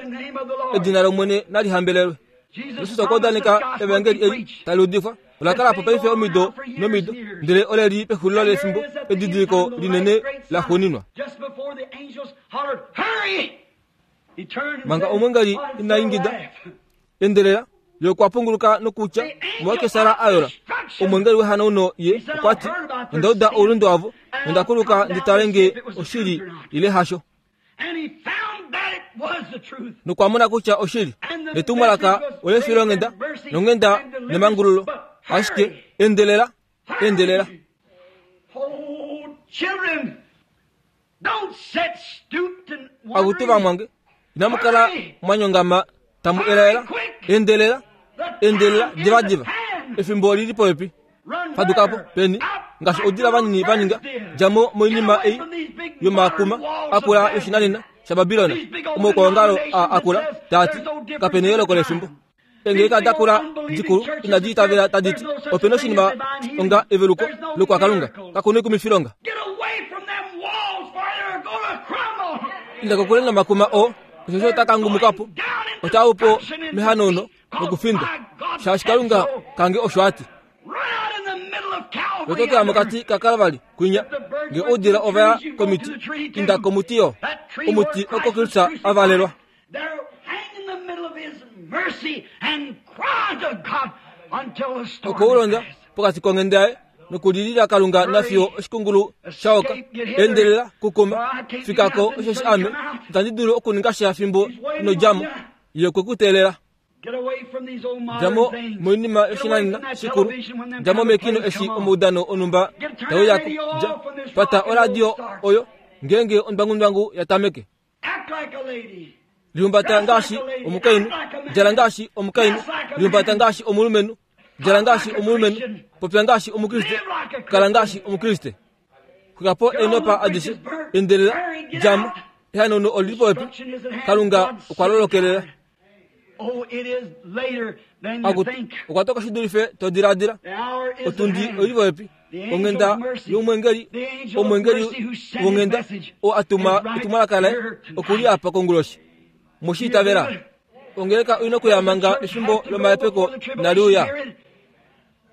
Edina lOmwene nali hambelelwe. Jesus okwa udaneka evangeli eli tali udifwa ola kala po paife omido nomido, ndele ole li pexulilo lefimbo edidiliko linene la xuuninwa. Manga omwengeli ina ingida, endelela, ye okwa punguluka nokutya, Omolwashike Sara a yola? Omwengeli wehanauno ye okwa ti, Onda uda oulunde wavo, nonda kuluka ndi tale nge oshili ile hasho. Nokwa mona kutya oshili. Netumwalaka olefilonghenda nonghenda nemangululo. Ashike endelela, endelela. Akutu vamwange, inamu kala mwa nyongama tamu elaela. Endelela, endelela, divadiva. Efimbo oli li popepi. Faduka po, peni, ngaashi oudila vanini va ninga. Dja mo moinima ei yomakuma akula yoshinanena shaBabilon, omaukwaongalo aa akula, taa ti, Kape neyooloko lefimbo. Eengeleka da kula dikulu inadi itavela tadi ti, Ope noshinima onga eveluko lokwakalunga. Kaku noikumifilonga. Inda kokule nomakuma oo, osheshi ota ka ngumuka po. Ota u po mehanauno nokufindwa, shaashi Kalunga kange osho a ti. Lotokela mokati kaKalvari kwinya, nge oudila ova ya komiti, inda komuti yo, omuti oko Kristus a valelwa. Okwe u londa pokati konghenda yaye nokulilila Kalunga nafiyo oshikungulu sha oka. Endelela, kukuma, fika ko, osheshi ame itandi dulu okuninga sha fimbo ino dja mo. Ye okwe ku teelela. Dja mo moinima yoshinanena shikulu. Dja mo mekino eshi omaudano onhumba tau ya ko. Dja, pata oradio oyo ngeenge ondwangundwangu ya tameke. Lihumbata ngaashi omukainhu, djala ngaashi omukainhu, lihumbata ngaashi omulumenhu, djala ngaashi omulumenhu, popya ngaashi Omukriste, kala ngaashi Omukriste. Xwika po eenopa adishe, endelela, dja mo. Ehanauno oli li popepi. Kalunga okwa lolokelela. Akutu, okwa toka shi dulife to diladila. Otundi oi li popepi. Onghenda yomwengeli, omwengeli wonghenda oo a tuma etumwalaka laye oku li apa konguloshi. Mwe shi itavela? Ongeleka oi na okuya manga efimbo lomahepeko inali uya.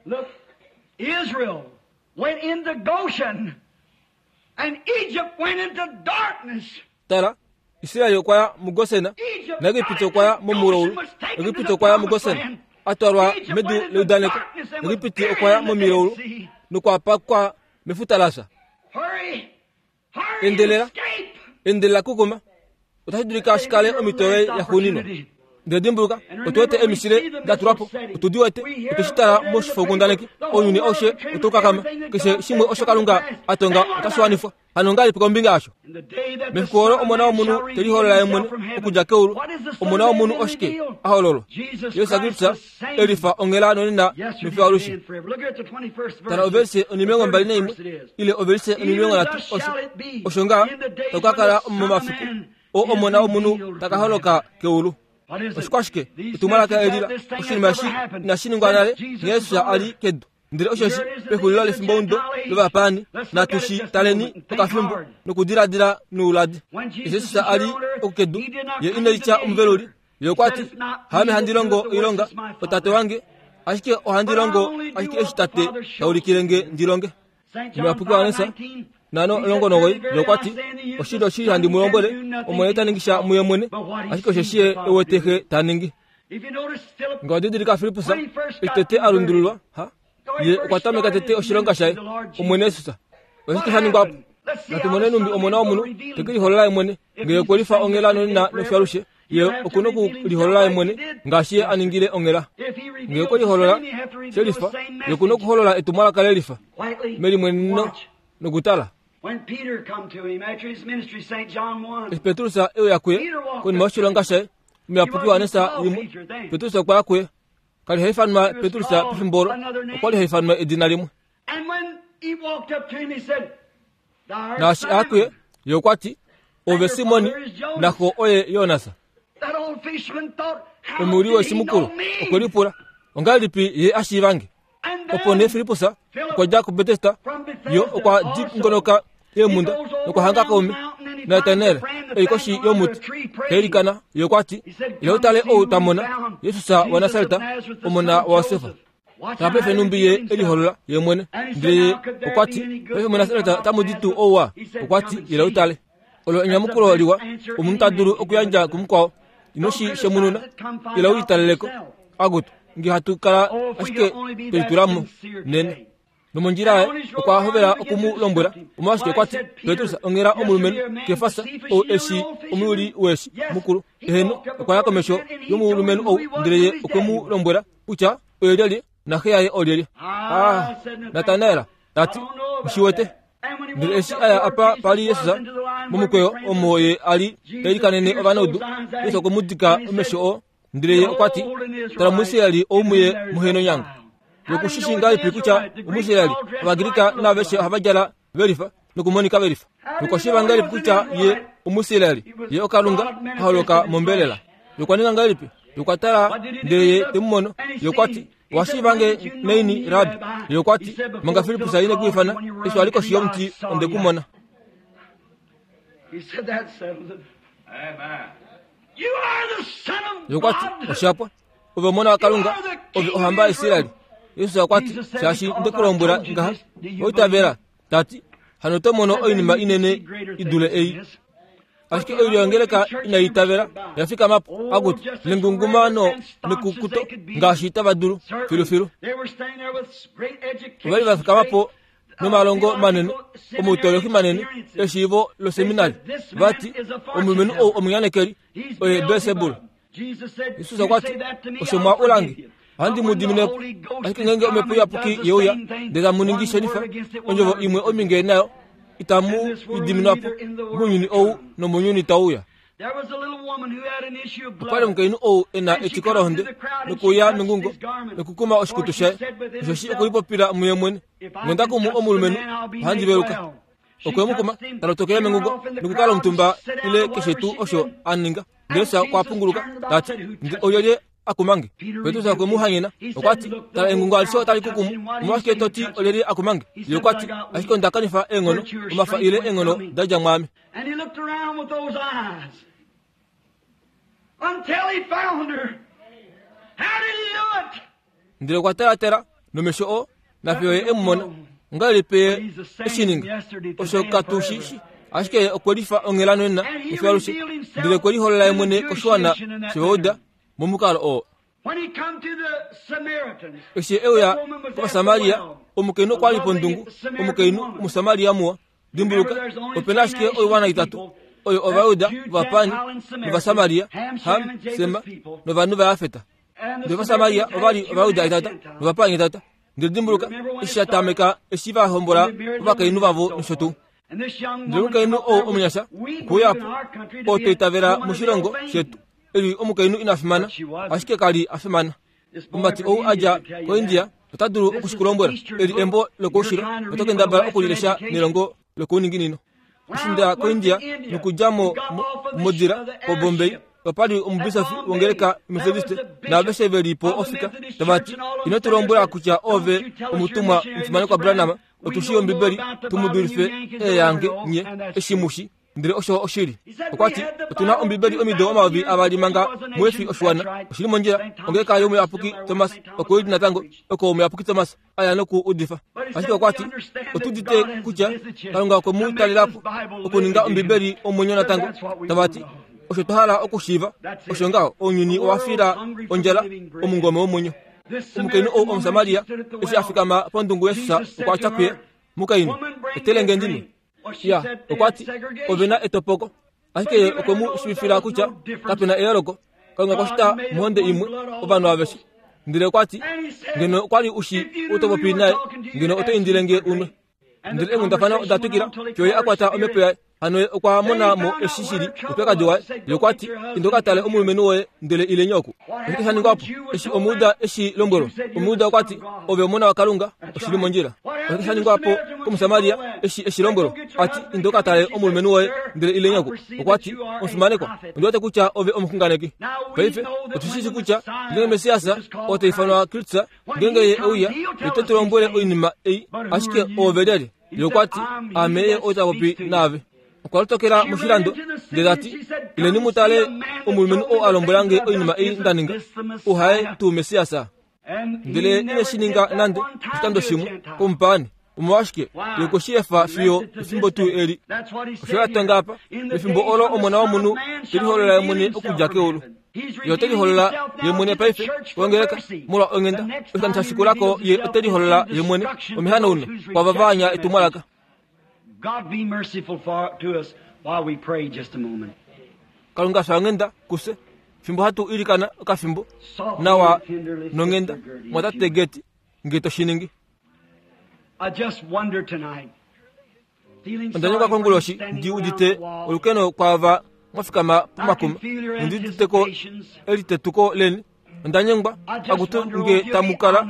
Look, Israel went into Goshen and Egypt went into darkness. Tala, Israel okwa ya muGosen, naEgipiti okwa ya momulaulu. Egipiti okwa ya muGosen, a twalwa medu leudaneko. Egipiti okwa ya momilaulu nokwa pakwa mefuta la fya. Endelela, endelela kukuma. Otashi dulika shi kale omhito yoye yaxuuninwa. Ndele dimbuluka, otu wete eemishile da tulwa po, otu di wete, otwe shi tala moshifokundaneki, ounyuni aushe otau kakama, keshe shimwe osho Kalunga a tonga otashi wanifwa. Hano ongahelipi kombinga yasho? Mefiku olo Omona wOmunhu te liholola Ye mwene okudja keulu. Omona wOmunhu oshike? A hololwa. Jesus Kristus e lifa onghela nonena nofiyo alushe. Tala ovelise 21 ile ovelise 30 osho osho ngaha taku ka kala momafiku oo Omona wOmunhu ta ka holoka keulu. Oshikwashike? Etumwalaka eli la oshinima eshi inashi ningwa nale nghee Jesus a li kedu. Ndele osheshi pexulilo lefimboudo lovapaani, natu shi taleni okafimbo nokudiladila nouladi. Eshi Jesus a li okukedu, ye ine litya omuveluli. Ye okwa ti, Haame handi longo oilonga, oTate wange, ashike ohandi longo ashike eshi Tate ta ulikile nge ndi longe. Omuyapuki Johannes 5:19 ye okwa ti, Oshili, oshili handi mu lombwele, Omwene ita ningi sha muye mwene, ashike osheshi ye e wete Xe ta ningi. Nga didilika Filippus eshi tete a lundululwa, ha? Ye okwa tameka tete oshilonga shaye, Omwene Jesus. Oshike sha ningwa po? Natu mone numbi Omona womunhu te ke liholola ye mwene, ngee okwe lifa onghela nonena nofyalushe, ye oku noku liholola ye mwene ngaashi ye a ningile onghela. Ngee okwe liholola she lifa, ye oku nokuholola etumwalaka le lifa melimweneno nokutala. Eshi Petrus e uya kuye konima yoshilonga shaye, Omuyapuki Johannes limwe, Petrus okwa ya kuye. Ka li ha ifanwa Petrus pefimbo olo, okwa li ha ifanwa edina limwe. Naashi a ya kuye, ye okwa ti, Ove Simoni, naxo oye Jonas. Omuyuli weshi mukulu okwe lipula, Ongahelipi ye a shiiva nge? Opo nee Filippus okwa dja kuBetesda, ye okwa dingonoka eemhunda nokwa hanga kaume Natanael e li koshi yomuti ta ilikana. Ye okwa ti, Ila u tale ou twa mona, Jesus waNasaret, omona waJosef. Tala paife nhumbi ye e liholola ye mwene. Ndele ye okwa ti, Paife muNasaret otamu di tuu ouwa? Okwa ti, Ila u tale. Olo enyamukulo liwa omunhu ta dulu okuyandja kumukwao. Ino shi shemununa, ila u litalele ko. Akutu, nge hatu kala ashike twe litula mo nena. Nomondjila yaye okwa hovela oku mu lombwela omolwashike okwa ti, Petrus onghela omulumenhu Kefas ou e shi omuyuli weeshi mukulu. Eheno, okwa ya komesho yomulumenhu ou ndele ye okwe mu lombwela kutya oye lyelye naxe yaye olyelye. Ah, Natanael ta ti, Nghi shi wete. Ndele eshi a ya apa pa li Jesus momukweyo omo ye a li ta ilikanene ovanaudu, Jesus okwe mu dika omesho oo, ndele ye okwa ti, Tala Omuisraeli ou muye muhe nonyanga. Ye oku shi shii ngahelipi kutya Omuisraeli, Ovagrika naaveshe ohava djala ve lifa nokumonika ve lifa? Nokwa shiiva ngahelipi kutya ye Omuisraeli, ye oKalunga a holoka mombelela? Ye okwa ninga ngahelipi? Ye okwa tala ndele ye te mu mono. Ye okwa ti, Owa shiiva nge naini, Rabbi? Ye okwa ti, Manga Filippus ine ku ifana, eshi wa li koshi yomuti, onde ku mona. Ye okwa ti, Osha pwa. Ove omona waKalunga, ove ohamba yaIsrael. Jesus okwa ti, Shaashi nde ku lombwela ngaha, owa itavela? Ta ti, Hano oto mono oinima inene i dule ei. Ashike oilyo yongeleka inai itavela, oya fikama po, akutu, nengungumano nekukuto ngaashi tava dulu, filufilu. Ova li va fikama po nomalongo manene, omautoloki manene, eshiivo loseminari. Va ti, Omulumenhu ou omunyanekeli, oye Belsebul. Jesus okwa ti, Osho mwa ula nge, ohandi mu dimine po. Ashike ngeenge Omhepo Iyapuki ye uya, ndele tamu ningi shelifa, ondjovo imwe ominge nayo itamu i diminwa po mounyuni ou nomounyuni tau uya. Okwa li omukainhu ou e na etiko lohonde nokuuya mengungo nokukuma oshikutu shaye, osheshi okulipopila muye mwene, Nge onda kumu omulumenhu, ohandi veluka. Okwe mu kuma, ta lotokele mengungo nokukala omutumba ile keshe tuu osho a ninga. Ndele Jesus okwa punguluka, ta ti, Nge olyelye a kuma nge? Petrus okwe mu hanyena, okwa ti, Tala engungo alishe otali ku kumu, omolwashike to ti olyelye a kuma nge? Ye okwa ti, Ashike onda kanifa eenghono, omafa ile eenghono da dja mwaame. And he looked around with those eyes until he found her. How did he do it? Ndele okwa talatala nomesho oo, nafiyo ye e mu mona. Ongahelipi ye e shi ninga? Osho katu shi shi. Ashike ye okwe lifa onghela nonena nofiyo alushe, ndele okwe liholola ye mwene koshiwana shOvayuda momukalo oo. When he come to the Samaritans, Eshi e uya kOvasamaria, omukainhu okwa li pondungu, omukainhu Omusamaria muwa. Dimbuluka, ope na ashike oiwana itatu. Oyo Ovajuda, Ovapaani nOvasamaria, Ham, Sema novanhu vaJafet. Ndele Ovasamaria ova li Ovajuda etata nOvapaani etata. Ndele dimbuluka, eshi sha tameka eshi va hombola ovakainhu vavo nosho tuu. Ndele omukainhu ou omunyasha okwe uya po, oo twa itavela moshilongo shetu, e li omukainhu ina fimana, ashike ka li a fimana. Omumati ou a dja koIndia ota dulu oku shi ku lombwela. Eli embo lokoushilo, oto kendabala oku li lesha nelongo lokouninginino. Eshi nda koIndia nokudja mo modila koBombay, opa li omubisofi wongeleka Methodiste naaveshe ve li po ofika tava ti, Ino tu lombwela kutya oove omutumwa omufimanekwa Branham, otu shii Ombibeli tu mu dulife eeyange nye eshi mu shi. Ndele osho oshili. Okwa ti, Otu na Ombibeli omido 2000 manga muhe fi oshiwana. Oshi li mondjila. Ongeleka yOmuyapuki Thomas oko i li natango, oko Omuyapuki Thomas a ya noku udifa. Ashike okwa ti, Otu udite kutya Kalunga okwe mu talela po okuninga Ombibeli omwenyo natango. Tava ti, Osho twa hala okushiiva osho ngaho, ounyuni owa fila ondjala omungome womwenyo. Omukainhu ou Omusamaria eshi a fikama pondungu yesus okwa tya kuye, Mukainhu, etele nge ndi nwe. Ya, okwa ti, Ove na etopoko. Ashike ye okwe mu shiivifila kutya kape na eyooloko. Kalunga okwa shita mohonde imwe ovanhu aveshe. Ndele okwa ti, Ngeno okwa li u shi ou to popi naye, ngeno oto indile nge u nwe. Ndele eenghundafana oda twikila fiyo ye a kwata omhepo yaye. Hano ye okwa mona mo eshi shi li oupyakadi waye. Ye okwa ti, Inda u ka tale omulumenhu woye ndele ileni oku. Oshike sha ningwa po eshi Omujuda e shi lombwelwa? Omujuda okwa ti, Ove Omona waKalunga, oshi li mondjila. Oshike sha ningwa po kOmusamaria eshi e shi lombwelwa? A ti, Inda u ka tale omulumenhu woye ndele ileni oku. Okwa ti, Omufimanekwa, ondi wete kutya ove omuxunganeki. Paife otu shi shii kutya ngeenge Messias, oo ta ifanwa Kristus, ngeenge ye e uya, ye ote tu lombwele oinima ei. Ashike oove lyelye? Ye okwa ti, Aame ye ou ta popi naave. Okwa lotokela moshilando ndele ta ti, Ileni mu tale omulumenhu ou a lombwela nge oinima ei nda ninga. Ou haye tuu Messias? Ndele ine shi ninga nande oshikando shimwe komupaani. Omolwashike ye okwe shi efa fiyo efimbo tuu eli? Osho ya tonga apa, mefimbo olo Omona wOmunhu te liholola ye mwene okudja keulu. Ye ote liholola ye mwene paife kongeleka molwa onghenda. Oshikando sha shikula ko ye ote liholola ye mwene omehanauno kwaava va anya etumwalaka. God be merciful to us while we pray just a moment. Kalunga fya onghenda kufye fimbo hatu ilikana okafimbo nawa nonghenda mwatate Geti nge to shi ningi. I just wonder tonight. Onda nyengwa konguloshi ndi udite olukeno kwaava mwa fikama pomakuma nondi udite ko elitetuko leni. Onda nyengwa akutu nge tamu kala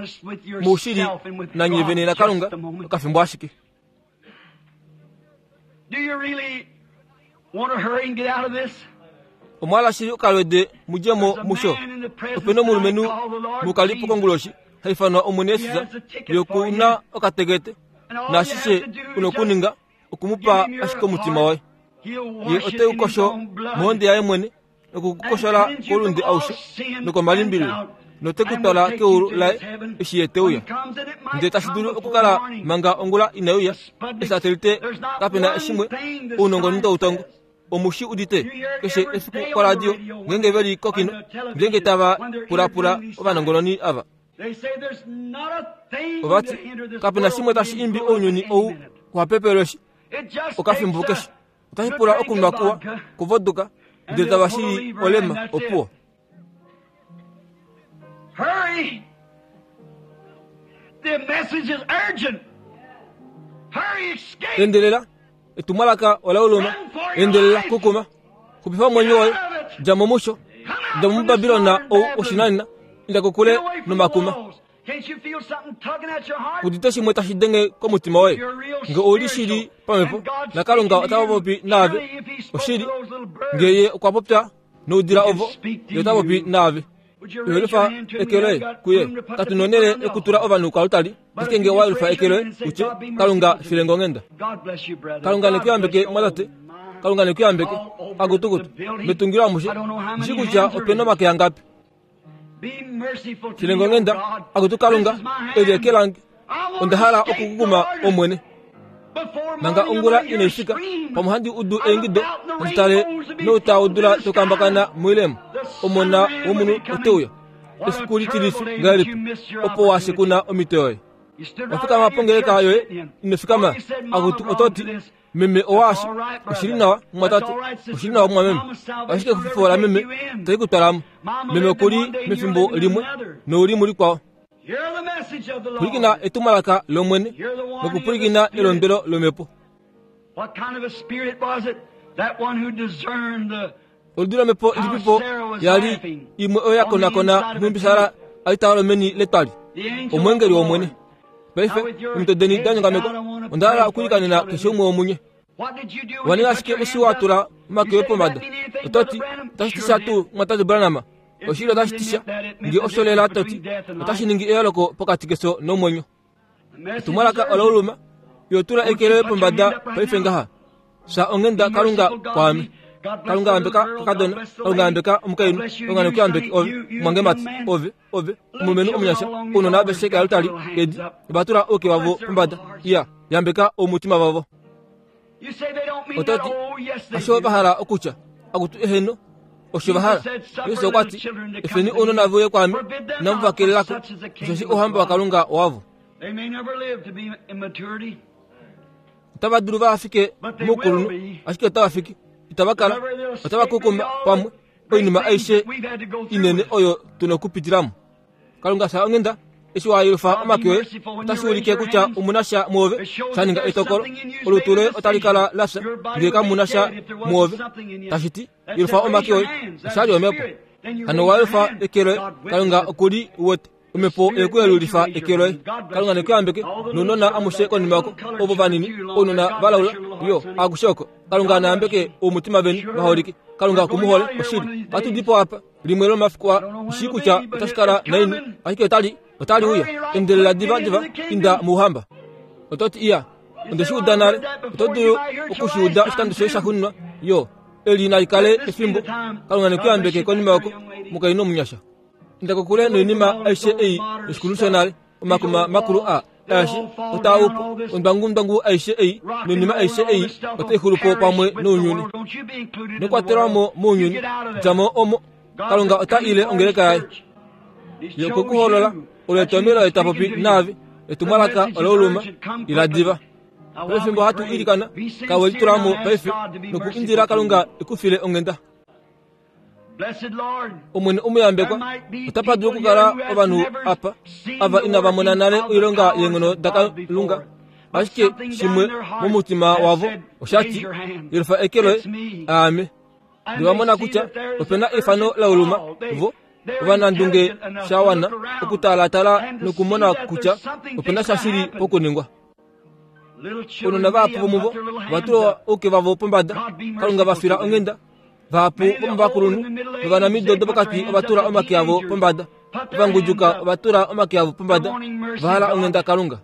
moushili nanye vene naKalunga okafimbo ashike. Do you really want to hurry and get out of this? Omwa hala shili okalwede mu dje mo musho? Ope na omulumenhu mukalipo konguloshi ha ifanwa Omwene Jesus, ye oku na okatekete, naashishe u na okuninga oku mu pa ashike omutima woye. Ye ote u kosho mohonde yaye mwene nokukukoshola koulunde aushe nokomalimbililo note ku twala keulu laye eshi ye te uya. Ndele tashi dulu okukala manga ongula inai uya, esatelite kape na shimwe, ounongononi tau tongo. Omu shi udite keshe efiku koradio ngeenge ve li kokino, ngeenge tava pulapula ovanongononi ava. Ova ti, Kape na shimwe tashi imbi ounyuni ou kuhapepelweshi okafimbo keshe. Otashi pula okunwa kuwa kuvoduka ndele tava shili olema opuwo. Hurry! The message is urgent. Hurry, escape! Endelela, etumwalaka ola uluma. Endelela, kukuma. Xupifa omwenyo woye. Dja mo musho. Dja mo muBabilon ou woshinanena. Inda kokule nomakuma. Udite shimwe tashi denge komutima woye. Nge ou li shili pamhepo, naKalunga ota popi naave. Oshili, nge Ye okwa popya noudila ovo, Ye ota popi naave. Yelifa eke loye kuye. Katu nonhele yokutula ovanhu koaltari, ashike nge owa yelufa eke loye u tye, Kalunga, file nge onghenda. Kalunga ne ku yambeke, mwatate. Kalunga ne ku yambeke. Akutukutu, metungilo amushe, ndi shii kutya ope na omake angapi. File nge onghenda, akutu Kalunga, eli eke lange. Onda hala okukukuma, Omwene. Manga ongula inai fika, pamwe handi udu eingido, handi tale nouta wodula tau kambakana moilemo. Omona womunhu ote uya. Efiku litilifi ngahelipi opo wa shekuna omhito yoye! Owa fikama pongeleka yoye, ino fikama. Akutu oto ti, Meme owaashi, oshi li nawa, mumwatate, oshi li nawa, mumwameme. Ashike exupifo lameme itali ku twala mo. Meme oku li mefimbo limwe, nou li mulikwao. Pwilikina etumwalaka lOmwene nokupwilikina elondwelo lOmhepo. Oludi lomhepo ilipipo ya li imwe oyo ya konakona nhumbi Sara a li ta holo meni letwali? Omweengeli wOmwene. Paife, omitwe deni da nyongamekwa, onda hala okuilikanena keshe umwe womunye. Wa ninga ashike eshi wa tula omake oye pombada. Oto ti, Otashi ti sha tuu, mumwatate Branham? Oshili otashi ti sha. Nge osho lela to ti, otashi ningi eyooloko pokati kefyo nomwenyo. Etumwalaka ola uluma. Yo tula eke loye pombada paife ngaha. Fya onghenda Kalunga kwaame. Kalunga yambeka kakadona. Kalunga yambeka omukainhu. Kalunga neku yambeke ove, omwangemati, ove, ove, omulumenhu omunyasha, ounona aveshe kealtari edi, ova tula ouke wavo pombada. Iya, yambeka oumutima vavo. Oto ti, Osho va hala okutya, akutu eheno, osho va hala. Jesus okwa ti, Efeni ounona ve uye kwaame, inamu va kelela ko, osheshi ouhamba waKalunga owavo. Otava dulu va fike moukulunhu, ashike otava fiki, itava kala, otava kukuma pamwe oinima aishe inene oyo tu na okupitila mo. Kalunga fya onghenda eshi wa yelufa omake oye otashi ulike kutya omu na sha muove sha ninga etokolo. Olutu loye otali kala la fya ngee kamu na sha muove. Tashi ti, yelufa omake oye, oshali yomhepo. Hano wa yelufa eke loye, Kalunga oku li wete. Omhepo oye ku yelulifa eke loye. Kalunga ne ku yambeke, nounona amushe konima oko, ovo vanini, ounona valaula, yo, akushe oko. Kalunga na yambeke oumutima veni vaholike. Kalunga oku mu hole, oshili. Ohatu di po apa. Limwe lomafiku a shii kutya otashi kala naini, ashike otali, otali uya. Endelela diva diva, inda mOuhamba. Oto ti, Iya, onde shi uda nale. Oto dulu oku shi uda oshikando shoye shaxuuninwa. Yo, eli nali kale efimbo. Kalunga ne ku yambeke konima oko, mukainhu omunyasha. Inda kokule noinima aishe ei yoshikulu shonale, omakuma makulu a ashi otaa upo, ondwangundwangu aishe ei noinima aishe ei otai xulu po pamwe nounyuni. Nokwatelwa mo mounyuni, dja mo omo. Kalunga ota ile ongeleka yaye. Ye okwe ku holola, olo etomelo oye ta popi naave, etumwalaka olauluma, ila diva. Pefimbo hatu ilikana, kawe litula mo paife noku indila Kalunga e ku file onghenda. Omwene omuyambekwa, otapa dulu okukala ovanhu apa ava inava mona nale oilonga yeenghono daKalunga, ashike shimwe momutima wavo osha ti, Yelufa eke loye, aame. Ndele va mona kutya ope na eifano la uluma, vo ovanandunge sha wana okutalaatala nokumona kutya ope na sha shili pokuningwa. Ounona vahapu vomuvo ova tula ouke vavo pombada, Kalunga va fila onghenda. Vahapu vomovakulunhu novanamido dopokati ova tula omake avo pombada. Ovangudjuka ova tula omake avo pombada, va hala onghenda Kalunga.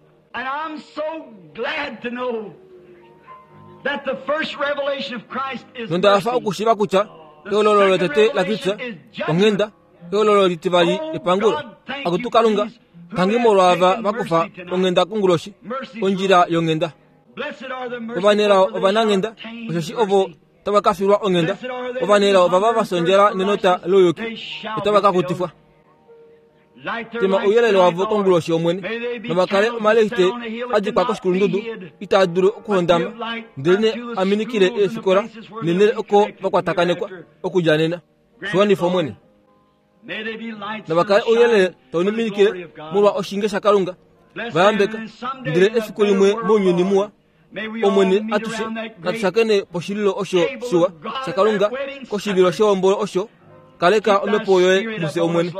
Nonda hafa okushiiva kutya ehololo lotete laKristus onghenda, ehololo litivali epangulo. Akutu Kalunga, tangi molwaava va kufa onghenda konguloshi, ondjila yonghenda. Ovanelao ovananghenda, osheshi ovo otava ka filwa onghenda. Ovanelao ovava va sondjela nenota louyuki, otava ka kutifwa. Tema ouyelele wavo konguloshi yOmwene, nova kale omalehite a dikwa koshikulundudu itaa dulu okuhondama, ndelenee a minikile eefikola neenhele oko va kwatakanekwa okudja nena. Shi wanifa, Omwene. Nava kale ouyelele tau minikile molwa oshinge shaKalunga. Va yambeka, ndele efiku limwe mounyuni muwa, Omwene atushe natu shakene poshililo osho shiwa shaKalunga, koshivilo shehombolo osho. Kaleka omhepo yoye mufye Omwene.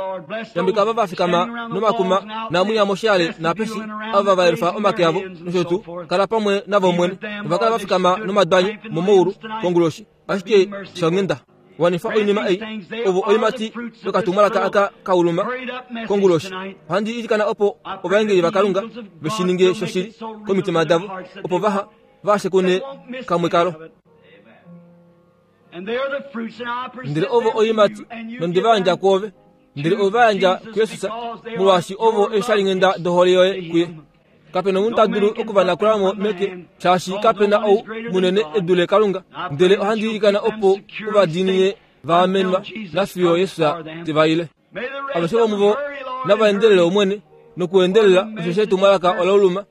Yambeka ava va fikama nomakuma naamwinya moshiale naapeshi ava va yelufa omake avo nosho tuu. Kala pamwe navo Omwene. Ova kala va fikama nomadwanyo momaulu konguloshi. Ashike shonghenda, wanifa oinima ei, ovo oimati yokatumwalaka aka ka uluma konguloshi. Ohandi ilikana opo ovaengeli vaKalunga ve shi ninge shoshili komitima davo, opo vaha va shekune kamwe kalo. Ndele ovo oiimati, nonde va yandja kwoove, ndele ove va yandja kuJesus, molwaashi ovo eeshalinghenda dohole yoye kuye. Kape na omunhu ta dulu oku va nakula mo meke, shaashi kape na ou munene e dule Kalunga. Ndele ohandi ilikana opo u va diinine va amenwa nafiyo Jesus te va ile. Aveshe vomuvo nava endelele Omwene. Nokuendelela osheshi etumwalaka ola uluma.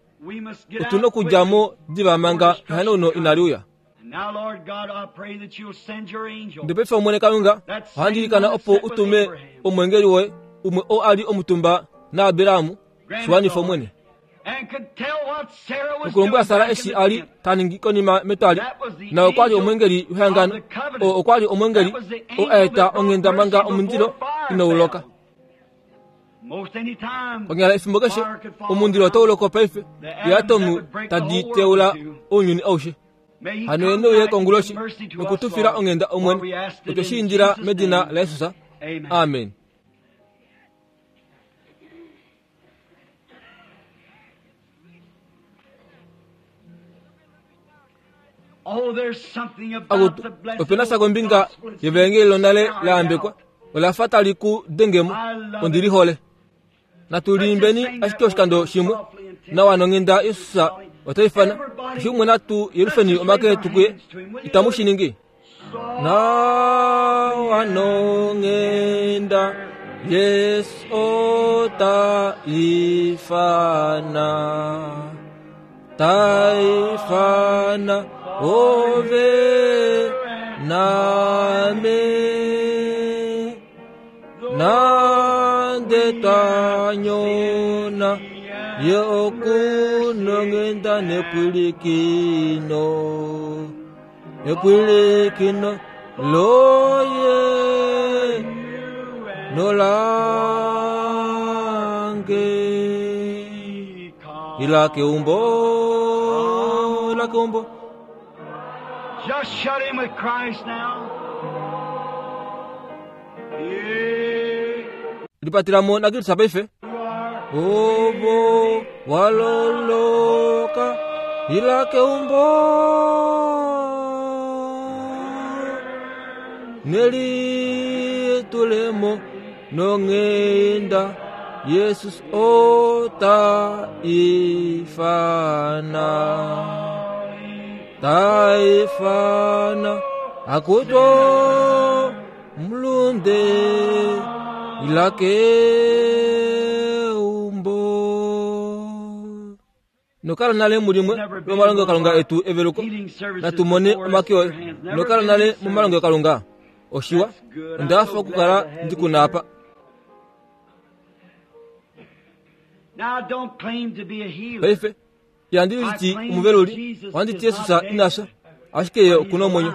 Otu na okudja mo diva manga ehanauno inali uya. Ndele paife Omwene Kalunga, ohandi ilikana opo u tume omwengeli woye, umwe oo a li omutumba naAbraham, shi wanifa Omwene. Nokulombwela Sara eshi a li ta ningi konima metwali, na okwa li omwengeli wehangano, oo okwa li omwengeli oo a eta onghenda manga omundilo inau loka. Konyala efimbo keshe omundilo otau loko paife, eatomu tadi teula ounyuni aushe. Hano ye neuye konguloshi noku tu fila onghenda Omwene, otwe shi indila medina laJesus. Amen. Akutu, ope na sha kombinga yevaengeli lonale la yambekwa, ola fa tali ku denge mo. Ondi li hole. Natu liimbeni ashike oshikando shimwe. Nawa nonghenda Jesus ota ifana. Keshe umwe natu yelufeni omake etu kuye. Itamu shi ningi? Nawa nonghenda Jesus ota ifana. Ta ifana ove naame. Nande twa nyona, ye oku nonghenda nepwilikino. Epwilikino loye nolange. Ila keumbo, ila keumbo. Just shut him with Christ now. Lipatilamo naKristus paife. Ovo waloloka ila keumbo nelitulemo nonghenda Jesus ota ifana ta ifana akuto mulunde ila keumbo. Nokala nale mulimwe lomalongelokalunga etu eveluko, natu mone omake oye. Nokala nale momalongelokalunga oshiwa, onda hafa okukala ndi ku na apa. Paife, ihandi liti omuveluli, ohandi ti Jesus ina fya, ashike ye oku na omwenyo.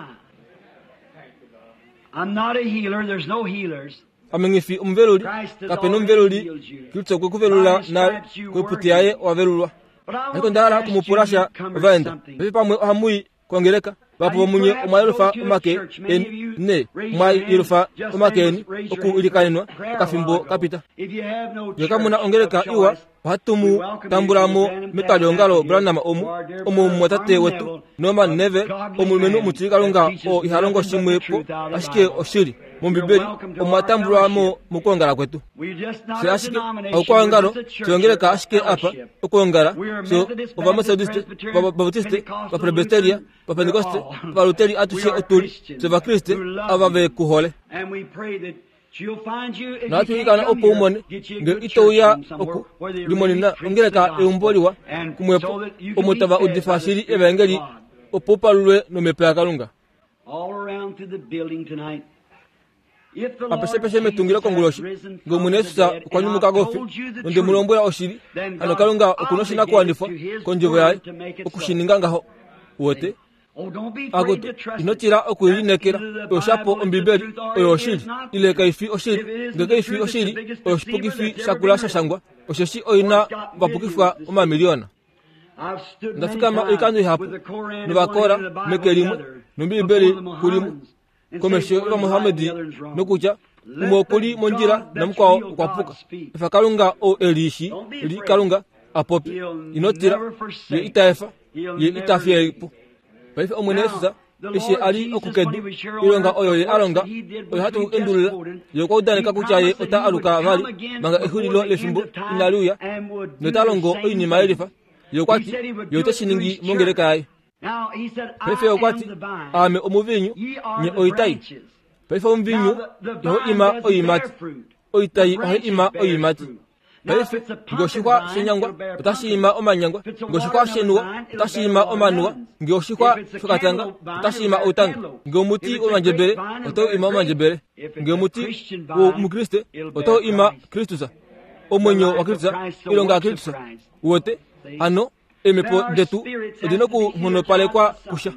Ame nghi fi omuveluli, kape na omuveluli, Kristus okwe ku velula nale, koiputi yaye owa velulwa. Ashike onda hala oku mu pula sha ovaenda. Paife pamwe ohamu i kongeleka, vahapu vomunye omwa yelufa omake eni, ne mwa yelufa omake eni oku ilikanenwa okafimbo ka pita. Nge kamu na ongeleka iwa, ohatu mu tambula mo metwaliongalo Branham omu, omo omumwatate wetu Norman Neville, omulumenhu omutilikalunga oo iha longo shimwe po ashike oshili mOmbibeli, omwa tambulwa mo mokwoongala kwetu. Fye ashike oukwaongalo, fye ongeleka ashike apa okwoongala, fye Ovametodiste, Ovabautiste, Ovapresbiteria, Ovapentekoste, Ovaluteri, atushe otu li fye Ovakriste ava ve ku hole. Nohatu ilikana opo u mone, nge ito uya oku limonena ongeleka eumbo liwa kumwepo, omo tava udifa shili evaengeli, opo u palulwe nomhepo yaKalunga. Apeshepeshe metungilo konguloshi, nge Omwene Jesus okwa nyumuka koufi, nonde mu lombwela oshili, hano Kalunga oku noshinakuwanifwa kondjovo yaye oku shi ninga ngaho. Uwete? Akutu, ino tila oku i lineekela. Oyo shapo Ombibeli, oyo oshili. Ile kai fi oshili? Nge kai fi oshili, oyo oshipukifi shakula sha shangwa, osheshi oi na ovapukifwa omamiliyona. Onda fikama oikando ihapu nOvakora meke limwe, nOmbibeli kulimwe, komesho yOvamuhamedi, nokutya, umwe oku li mondjila namukwao okwa puka. Efa Kalunga ou e li shi li Kalunga a popye. Ino tila, Ye ita efa, Ye ita fiye po. Paife Omwene Jesus eshi a li oku kedu, oilonga oyo Ye a longa, oyo hatu endulula, Ye okwa udaneka kutya Ye ota aluka vali manga exulilo lefimbo inali uya, nota longo oinima yelifa. Ye okwa ti Ye ote shi ningi mongeleka yaye. Paife okwa ti, Aame omuviinyu, nye oitai. Paife omuviinyu ihau ima oiimati, oitai ohai ima oiimati. Paife, nge oshixwa shenyangwa, otashi ima omanyangwa. Nge oshixwa shenuwa, otashi ima omanuwa. Nge oshixwa shokatanga, otashi ima outanga. Nge omuti womandjebele, otau ima omandjebele. Nge omuti womukriste, otau ima Kristus. Omwenyo waKristus, oilonga yaKristus. Uwete? Hano, eemhepo detu odi nokunghonopalekwa kusha.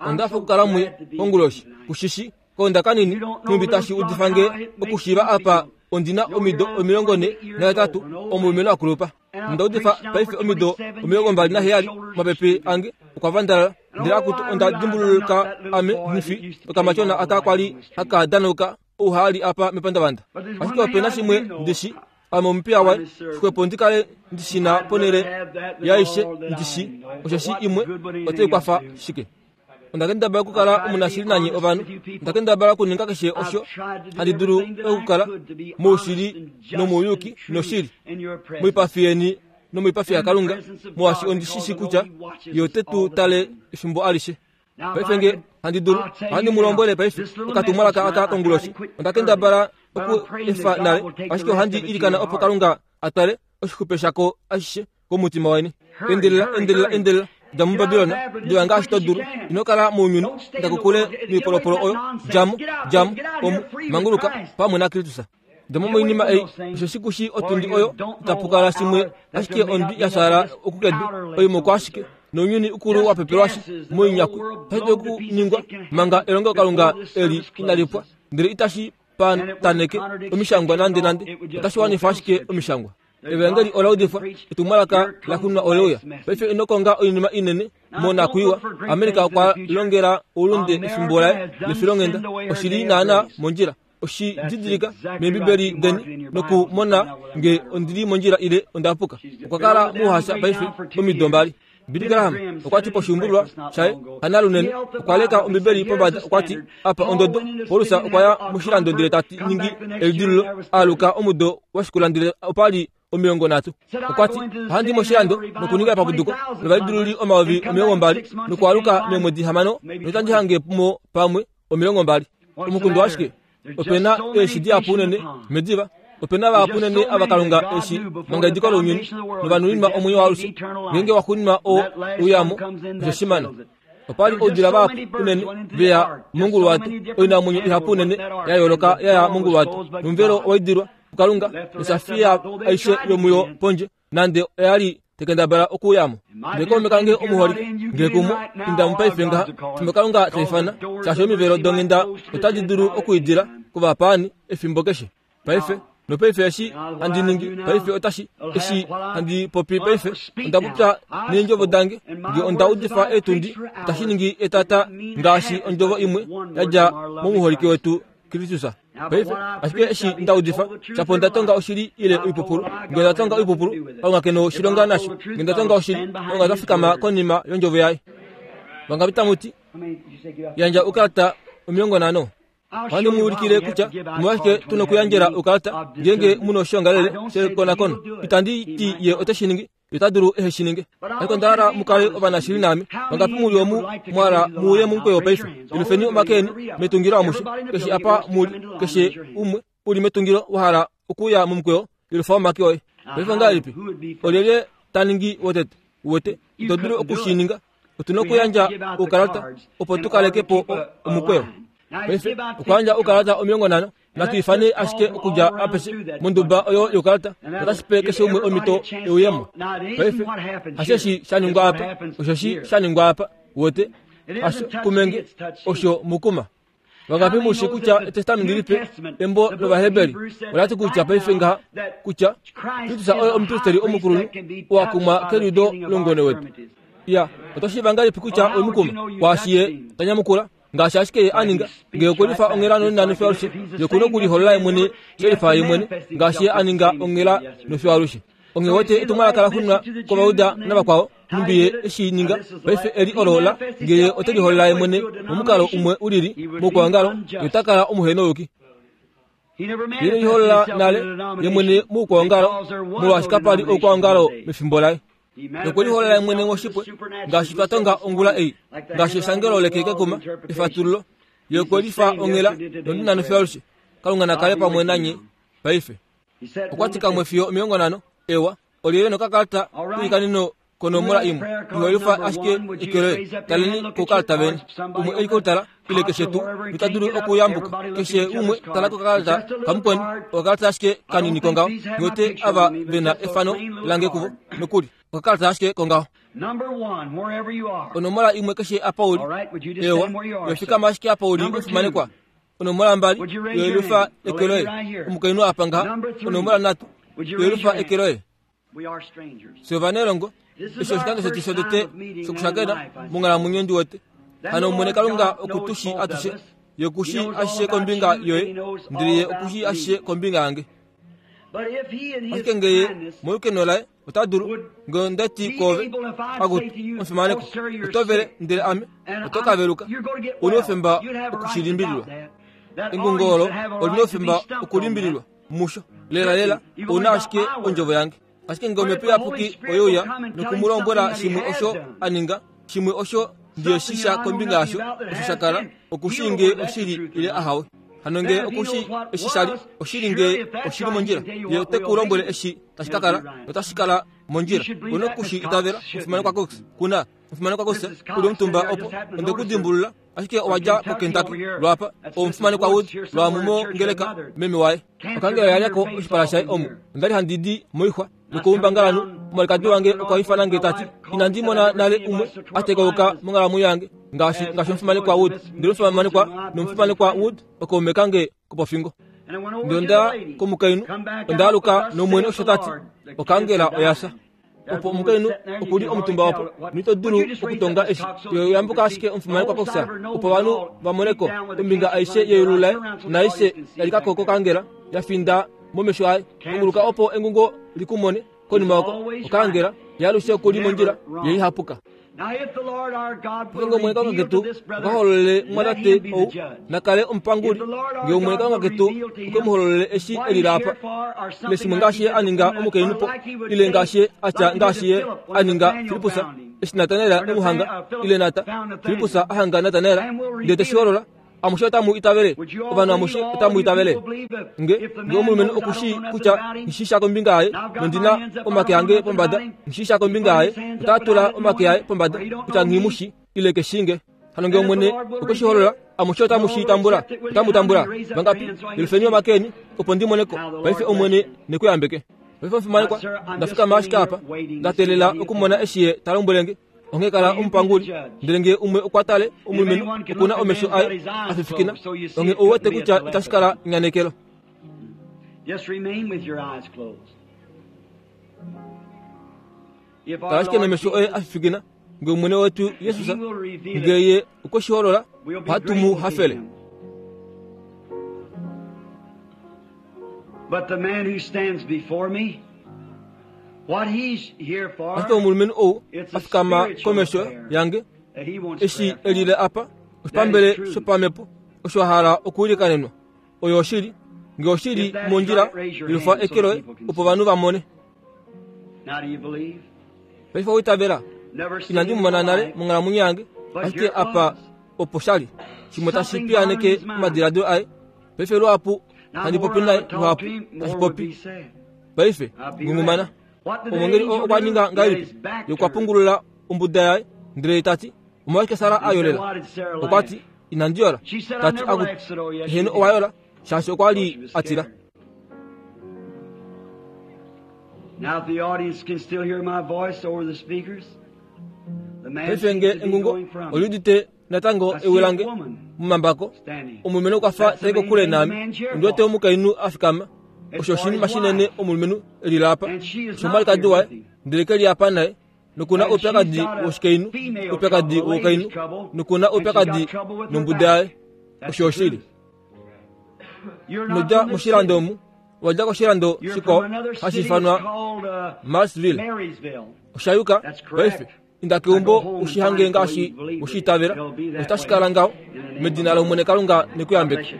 Onda hafa okukala muye konguloshi, kushishi Kaunda kanini, nhumbi tashi udifa nge okushiiva apa ondi na omido 48, omulumenhu a kulupa. Onda udifa paife omido 27, omapepe ange okwa vandalala. Ndele akutu onda dimbuluka ame nghi okamatyona aka kwali haka danauka ouhaali apa mepandavanda. Ashike ope na shimwe ndi shi, ame omupiya waye, xwepo ndi kale ndi shi na ponhele yaaishe ndi shi, osheshi imwe otai kwafa shike? Onda kendabala okukala omunashili nanye ovanhu. Onda kendabala okuninga keshe osho handi dulu okukala moushili nomouyuki noshili moipafi yeni nomoipafi yaKalunga, molwaashi ondi shi shii kutya Ye ote tu tale efimbo alishe. Paife nge handi dulu, ohandi mu lombwele paife okatumwalaka aka konguloshi. Onda kendabala oku efa nale, ashike ohandi ilikana opo Kalunga a twale oshixupe shako ashishe komutima weni. Endelela, endelela, endelela, dja muBabilon, diva ngaashi to dulu. Ino kala mounyuni, inda kokule noipolopolo oyo. Dja mo, dja mo, omu, manguluka pamwe naKristus. Dja mo moinima ei, osheshi ku shii otundi oyo itapu kala shimwe ashike ondwi ya fyaala okukedu, oimoko ashike, nounyuni ukulu wa pepelwashi moinyakwi. Otashi dulu okuningwa manga elongelokalunga eli inali pwa, ndele itashi pataneke omishangwa nandenande, otashi wanifa ashike omishangwa. Evangeli ola udifwa, etumwalaka la kunwa ole uya. Paife ino konga oinima inene monakwiiwa. Amerika okwa longela oulunde efimbo laye lefilonghenda. Oshi li naanaa mondjila. Oshi didilika mEembibeli deni nokumona nge ondi li mondjila ile onda puka. Okwa kala muuhasha paife omido mbali. Billy Graham okwa ti poshiumbulwa shaye hanalunene okwa leka Ombibeli pombada okwa ti, Apa ondodo. Paulus okwa ya moshilando ndele ta ningi elidilululo a aluka omudo wa shikula ndele opa li 30. Okwa ti, Ohandi i moshilando nokuninga epapuduko lovalidilululi 20,000 nokwaaluka meemwedi 6 notandi hange mo pamwe 20. Omukundu washike? Ope na eeshi dihapu unene mediva. Ope na vahapu unene ava Kalunga eshi manga ediko lounyuni novanuninwa omwenyo waalushe. Ngeenge wa xuuninwa oo uyamo, osho shimana. Opa li oudila vahapu unene ve ya monguluwato, oinamwenyo ihapu unene ya yooloka ya ya monguluwato, nomuvelo owa idilwa kuKalunga, nosafiya aishe yomuyo pondje. nande oya li tekendabala okuuya mo. Ndele kaume kange omuholike, nge kumo, inda mo paife ngaha, fimbo Kalunga ta ifana, shaashi omivelo donghenda otadi dulu okwiidila kovapaani efimbo keshe. Paife, nopaife eshi handi ningi paife otashi, eshi handi popi paife, onda popya neendjovo dange, nge onda udifa eetundi, otashi ningi etata ngaashi ondjovo imwe ya dja momuholike wetu Kristus. Paife, ashike eshi nda udifa, shapo onda tonga oshili ile oipupulu. Nge onda tonga oipupulu, Kalunga ke noshilonga nasho. Nge onda tonga oshili, Kalunga ota fikama konima yondjovo yaye. Vangapi tamu ti, Yandja oukalata 50? Ohandi mu ulikile kutya omolwashike tu nokuyandjela oukalata ngeenge mu na oshoongalele shekonakono. Itandi ti ye ote shi ningi, ita dulu ehe shi ninge. Ashike onda hala mu kale ovanashili naame. Vangapi mu li omu mwa hala mu uye momukweyo paife? Yelufeni omake eni metungilo amushe, keshe apa mu li, keshe umwe u li metungilo wa hala okuuya momukweyo, yelufa omake oye. Paife ongahelipi? Olyelye ta ningi wotete? Uwete, ito dulu oku shi ninga. Otu na okuyandja oukalata opo tu kaleke po omukweyo. Paife okwa yandja oukalata 50 Natu ifane ashike okudja apeshe monduba oyo youkalata notashi pe keshe umwe omhito euyemo. Paife, hasheshi sha ningwa apa, osheshi sha ningwa apa, uwete, hasho kumenge, osho mukuma. Vangapi mu shi kutya Etestamenti Lipe, embo lOvaheberi, ola ti kutya paife ngaha, kutya Kristus oye omupristeri omukulunhu oo a kumwa keliudo loungone wetu? Iya, oto shiiva ngahelipi kutya owe mu kuma? Kwaashi ye ta nyamukula, ngaashi ashike ye a ninga nge okwe lifa onghela nonena nofyo alushe ye okuna okuliholola ye mwene she lifa ye mwene ngaashi ye a ninga onghela nofyo alushe onghee wete etumwalaka la xunwa kovauda navakwao nhumbi ye eshi ninga paife eli olo la nge ye ote liholola ye mwene momukalo umwe u lili moukwaongalo ye ota kala omuhenouyuki ye liholola nale ye mwene moukwaongalo molwaashi kapa li oukwaongalo mefimbo laye nokweliholola mwene ngoshipwe ngaashi twa tonga ongula ei ngaashi eshangelo lekekekuma efatululo ye okwelifa onghela nonena nofyo alushe kalunga na kale pamwe nanye paife. Okwa ti kamwe fiyo 50. Ewa, olyelye nokakalata kwiikaneno konomola imwe ihoifa ashike eke loye. Taleni koukalata veni. Umwe e li koutala ile keshe tuu nota dulu okuyambuka. Keshe umwe tala kokakalata kamukweni, okakalata ashike kanini kongaho. Ngiwete ava ve na efano lange kuvo nokuli. Okakalata ashike kongaho. Onomola imwe keshe apa u li. Ewa, yo fikama ashike apa u li omufimanekwa. Onomola mbali, yoelufa eke loye. Omukainhu apa ngaha. Onomola nhatu, yoelufa eke loye. Fye ovanelongo, eshi oshikando shetu shotete shokushakena monghalamwenyo ndi wete. Hano Omwene Kalunga oku tu shii atushe. Ye oku shii ashishe kombinga yoye, ndele Ye oku shii ashishe kombinga yange. Ashike nge Ye, molukeno laye, ota dulu, nge onda ti koove, Akutu, omufimanekwa, oto vele, ndele ame, oto ka veluka. U na oufemba oku shi limbililwa. Engungo olo oli na oufemba okulimbililwa. Musho, lelalela, ou na ashike ondjovo yange. Ashike nge Omhepo Iyapuki oye uya noku mu lombwela shimwe osho a ninga, shimwe osho ndiye shi sha kombinga yasho, osho sha kala, oku shii nge oshili ile ahawe. Hano nge oku shi eshi sha li, oshili nge oshi li mondjila, ye ote ku lombwele eshi tashi ka kala, notashi kala mondjila. Ou na oku shi itavela, omufimanekwa Cox. Ku na, omufimanekwa Cox, u li omutumba opo, onde ku dimbulula. Ashike owa dja koKentucky, lwaapa, omufimanekwa Wood, lwaamu mongeleka, meme waye. Okangela oya lya ko oshipala shaye omu. Onda li handi di moixwa nokoumbangalanhu. Omwalikadi wange okwa ifana nge ta ti, Inandi mona nale umwe a tekauka monghalamwenyo yange ngaashi ngaashi omufimanekwa Wood. Ndele omufimanekwa nomufimanekwa Wood okaume kange kopofingo. Ndele onda ya komukainhu, onda aluka nOmwene osho ta ti, Okangela oya fya. Opo omukainhu oku li omutumba opo, noito dulu okutonga eshi. Ye yambuka ashike omufimanekwa kofya, opo ovanhu va mone ko. Ombinga aishe yeyulu laye naaishe ya lika ko kokangela ya finda momesho aye. Punguluka opo engungo li ku mone. Konima oko, okangela ye alushe oku li mondjila ye ihapuka. Ngeenge Omwene Kalunga ketu okwa hololele omumwatate ou, na kale omupanguli. Nge Omwene Kalunga ketu okwe mu hololele eshi e lila apa, ile shimwe ngaashi ye a ninga omukainhu po, ile ngaashi ye a tya ngaashi ye a ninga Filippus, eshi Natanael e mu hanga, ile Nata, Filippus a hanga Natanael, ndele te shi holola, Amushe otamu itavele? Ovanhu amushe otamu itavele? Nge, nge omulumenhu oku shii kutya nghi sha kombinga yaye, nondi na omake ange pombada, nghi sha kombinga yaye, ota tula omake aye pombada kutya nghi mu shi, ile ke shii nge. Hano nge Omwene okwe shi holola, amushe otamu shi tambula, otamu tambula. Vangapi? Yelufeni omake eni, opo ndi mone ko. Paife Omwene ne ku yambeke. Paife omufimanekwa, nda fikama ashike apa, nda teelela okumona eshi Ye ta lombwele nge. Onghee kala omupanguli. Ndele nge umwe okwa tale omulumenhu oku na omesho aye a fifikina, onghee ou wete kutya itashi kala enyanekelo. Kala ashike nomesho oye a fifikina. Nge Omwene wetu Jesus nge ye okwe shi holola, ohatu mu hafele. But the man who stands before me, Ashike omulumenhu ou a fikama komesho yange, eshi e lile apa, oshipambele shopamhepo osho a hala okuilikanenwa. Oyo oshili. Nge oshi li mondjila, yelufa eke loye opo ovanhu va mone. Paife owa itavela? Inandi mu mona nale monghalamwenyo yange, ashike apa opo sha li. Shimwe tashi piyaaneke omadiladilo aye. Paife luhapu handi popi naye, luhapu tashi popi. Paife, ngungumana. Omwengeli oo okwa ninga ngahelipi? Ye okwa pungulula ombuda yaye, ndele ta ti, Omolwashike Sara a yolela? Okwa ti, Inandi yola. Ta ti, Akutu, heeno owa yola, shaashi okwa li a tila. Paife nge engungo oli udite natango ewi lange momambako, omulumenhu okwa fa ta i kokule naame. Ondi wete omukainhu a fikama. Osho oshinima shinene omulumenhu e lila apa. Osho omwalikadi waye, ndele ke li apa naye. Noku na oupyakadi woshikainhu, oupyakadi woukainhu, noku na oupyakadi nombuda yaye. Osho oshili. Ino dja moshilando omu, owa dja koshilando shikwao hashi ifanwa Marsville. Osha yuka paife. Inda keumbo u shi hange ngaashi we shi itavela, notashi kala ngaho. Medina lOmwene Kalunga ne ku yambeke.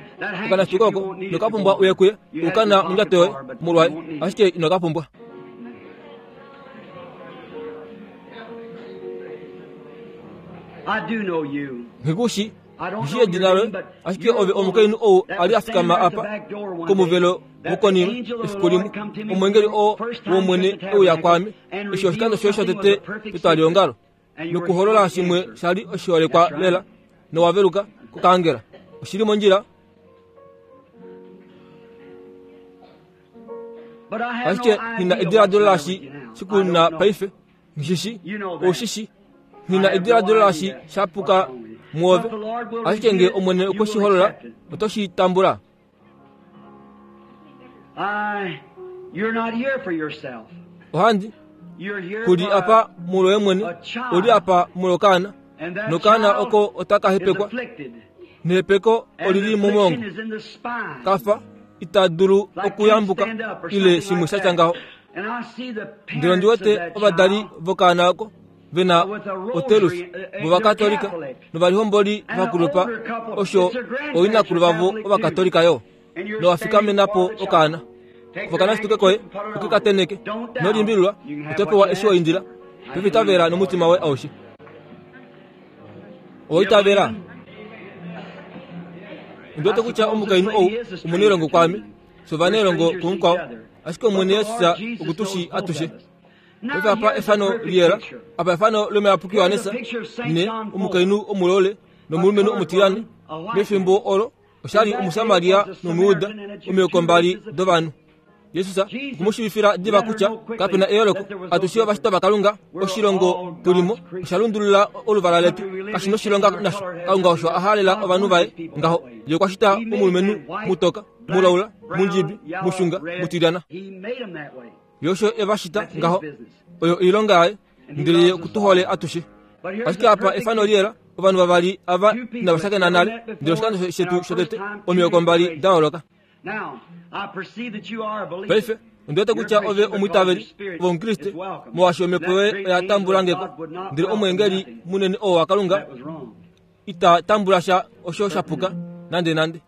Okanafiko oko ino ka pumbwa uye kuye, u ka na mondjato yoye molwaye, ashike ino ka pumbwa. I do know you. Nghi ku shi. Nghi shii edina loye, ashike ove omukainhu ou a li a fikama apa komuvelo wokonima efiku limwe, omweengeli oo wOmwene e uya kwaame, eshi oshikando shoye shotete petwaliongalo, nokuholola shimwe sha li oshiholekwa lela, nowa veluka kokaangela. Oshi li mondjila? Ashike nghi na ediladilo laashi shi ku na paife. Nghi shi, ou shi shi. Nghi na ediladilo laashi sha puka mwoove. Ashike nge Omwene okwe shi holola, oto shi tambula. Ohandi ku li apa molwoye mwene, u li apa molwokaana, nokaana oko otaka hepekwa, nehepeko oli li momwoongo. Kafa ita dulu okuyambuka ile shimwe sha tya ngaho. Ndele ondi wete ovadali vokaana oko ve na otelus vOvakatolika novalihomboli vakulupa osho ooinakulu vavo Ovakatolika yo. Nowa fikamena po okaana. Kufa okanashituke koye uke ka tenheke. Ino limbililwa, oto pewa eshi wa indila. Paife itavela nomutima woye aushe. Owa itavela? Ondi wete kutya omukainhu ou omunailongo kwaame, fye ovanailongo kumukwao, ashike Omwene Jesus oku tu shii atushe. Paife apa efano liyela, apa efano lOmuyapuki Johannes, ne omukainhu omulole nomulumenhu omutilyane, mefimbo olo osha li Omusamaria nOmuyuda, omihoko mbali dovanhu. Jesus okwe mu shiivifila diva kutya kape na eyooloko, atushe ovashitwa vaKalunga, oshilongo tu li mo osha lundulula oluvala letu, kashi noshilonga nasho. Kalunga osho a halela ovanhu vaye ngaho. Ye okwa shita omulumenhu mutoka, mulaula, mundjibi, mushunga, mutilyana. Ye osho e va shita ngaho. Oyo oilonga yaye, ndele ye oku tu hole atushe. Ashike apa efano liyela, ovanhu vavali ava inava shakena nale, ndele oshikando shetu shotete, omihoko mbali da yooloka. Paife, ondi wete kutya ove omwiitaveli, ove Omukriste, molwaashi omhepo yoye oya tambula nge ko. Ndele omweengeli munene oo waKalunga ita tambula sha osho sha puka nandenande.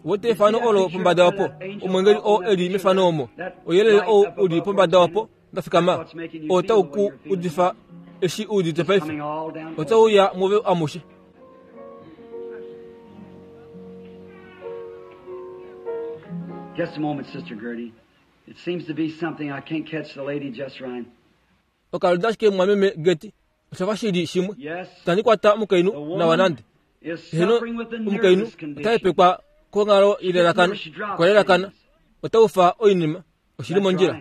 Wete efano olo pombada opo, omweengeli oo e li mefano omo, ouyelele ou u li pombada opo nda fikama, oo tau ku udifa eshi u udite paife, otau uya muove amushe. Just a moment, Sister Gertie. It seems to be something I can't catch the lady just right. Okaluda ashike mumwameme Gertie, osha fa shi li shimwe. Itandi kwata omukainhu nawa nande. Eheno, omukainhu ota hepekwa konghalo yelelakano, okwa lelakana, ota ufa oinima, oshi li mondjila.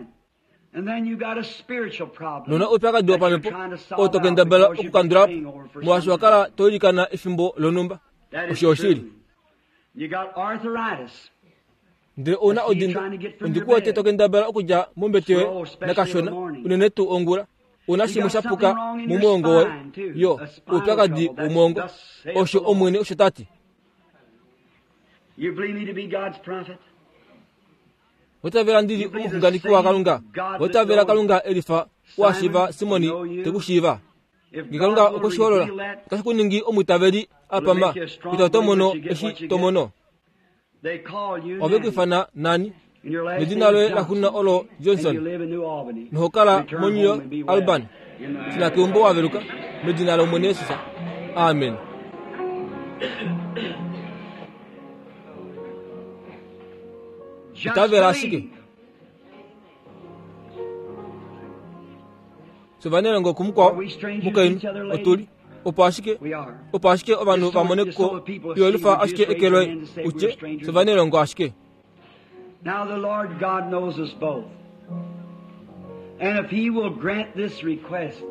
Nona oupyakadi wopamhepo oo to kendabala okukandula po molwaashi wa kala to ilikana efimbo lonhumba. Osho oshili. Ndele ou na odindo, ondi ku wete to kendabala okudja mombete yoye nakashona, unene tuu ongula. Ou na shimwe sha puka momwoongo woye. Yo, oupyakadi womwoongo. Osho Omwene osho ta ti. Oitavela ndi li omuxunganeki waKalunga? Oitavela Kalunga e lifa ou a shiiva Simoni te ku shiiva? Nge Kalunga okwe shi holola, otashi ku ningi omwiitaveli a pama kutya oto mono eshi to mono. Ove ku ifana nani? Nedina loye laxuuninwa olo Johnson, noho kala moNew York, Albany. Shuna keumbo wa veluka, medina lOmwene Jesus. Amen. Itavela ashike. Fye ovanelongo kumukwao, mukainhu, otu li. Opo ashike, opo ashike ovanhu va mone ko, yelifa ashike eke loye, u tye, Fye ovanelongo ashike. Now the Lord God knows us both. And if he will grant this request,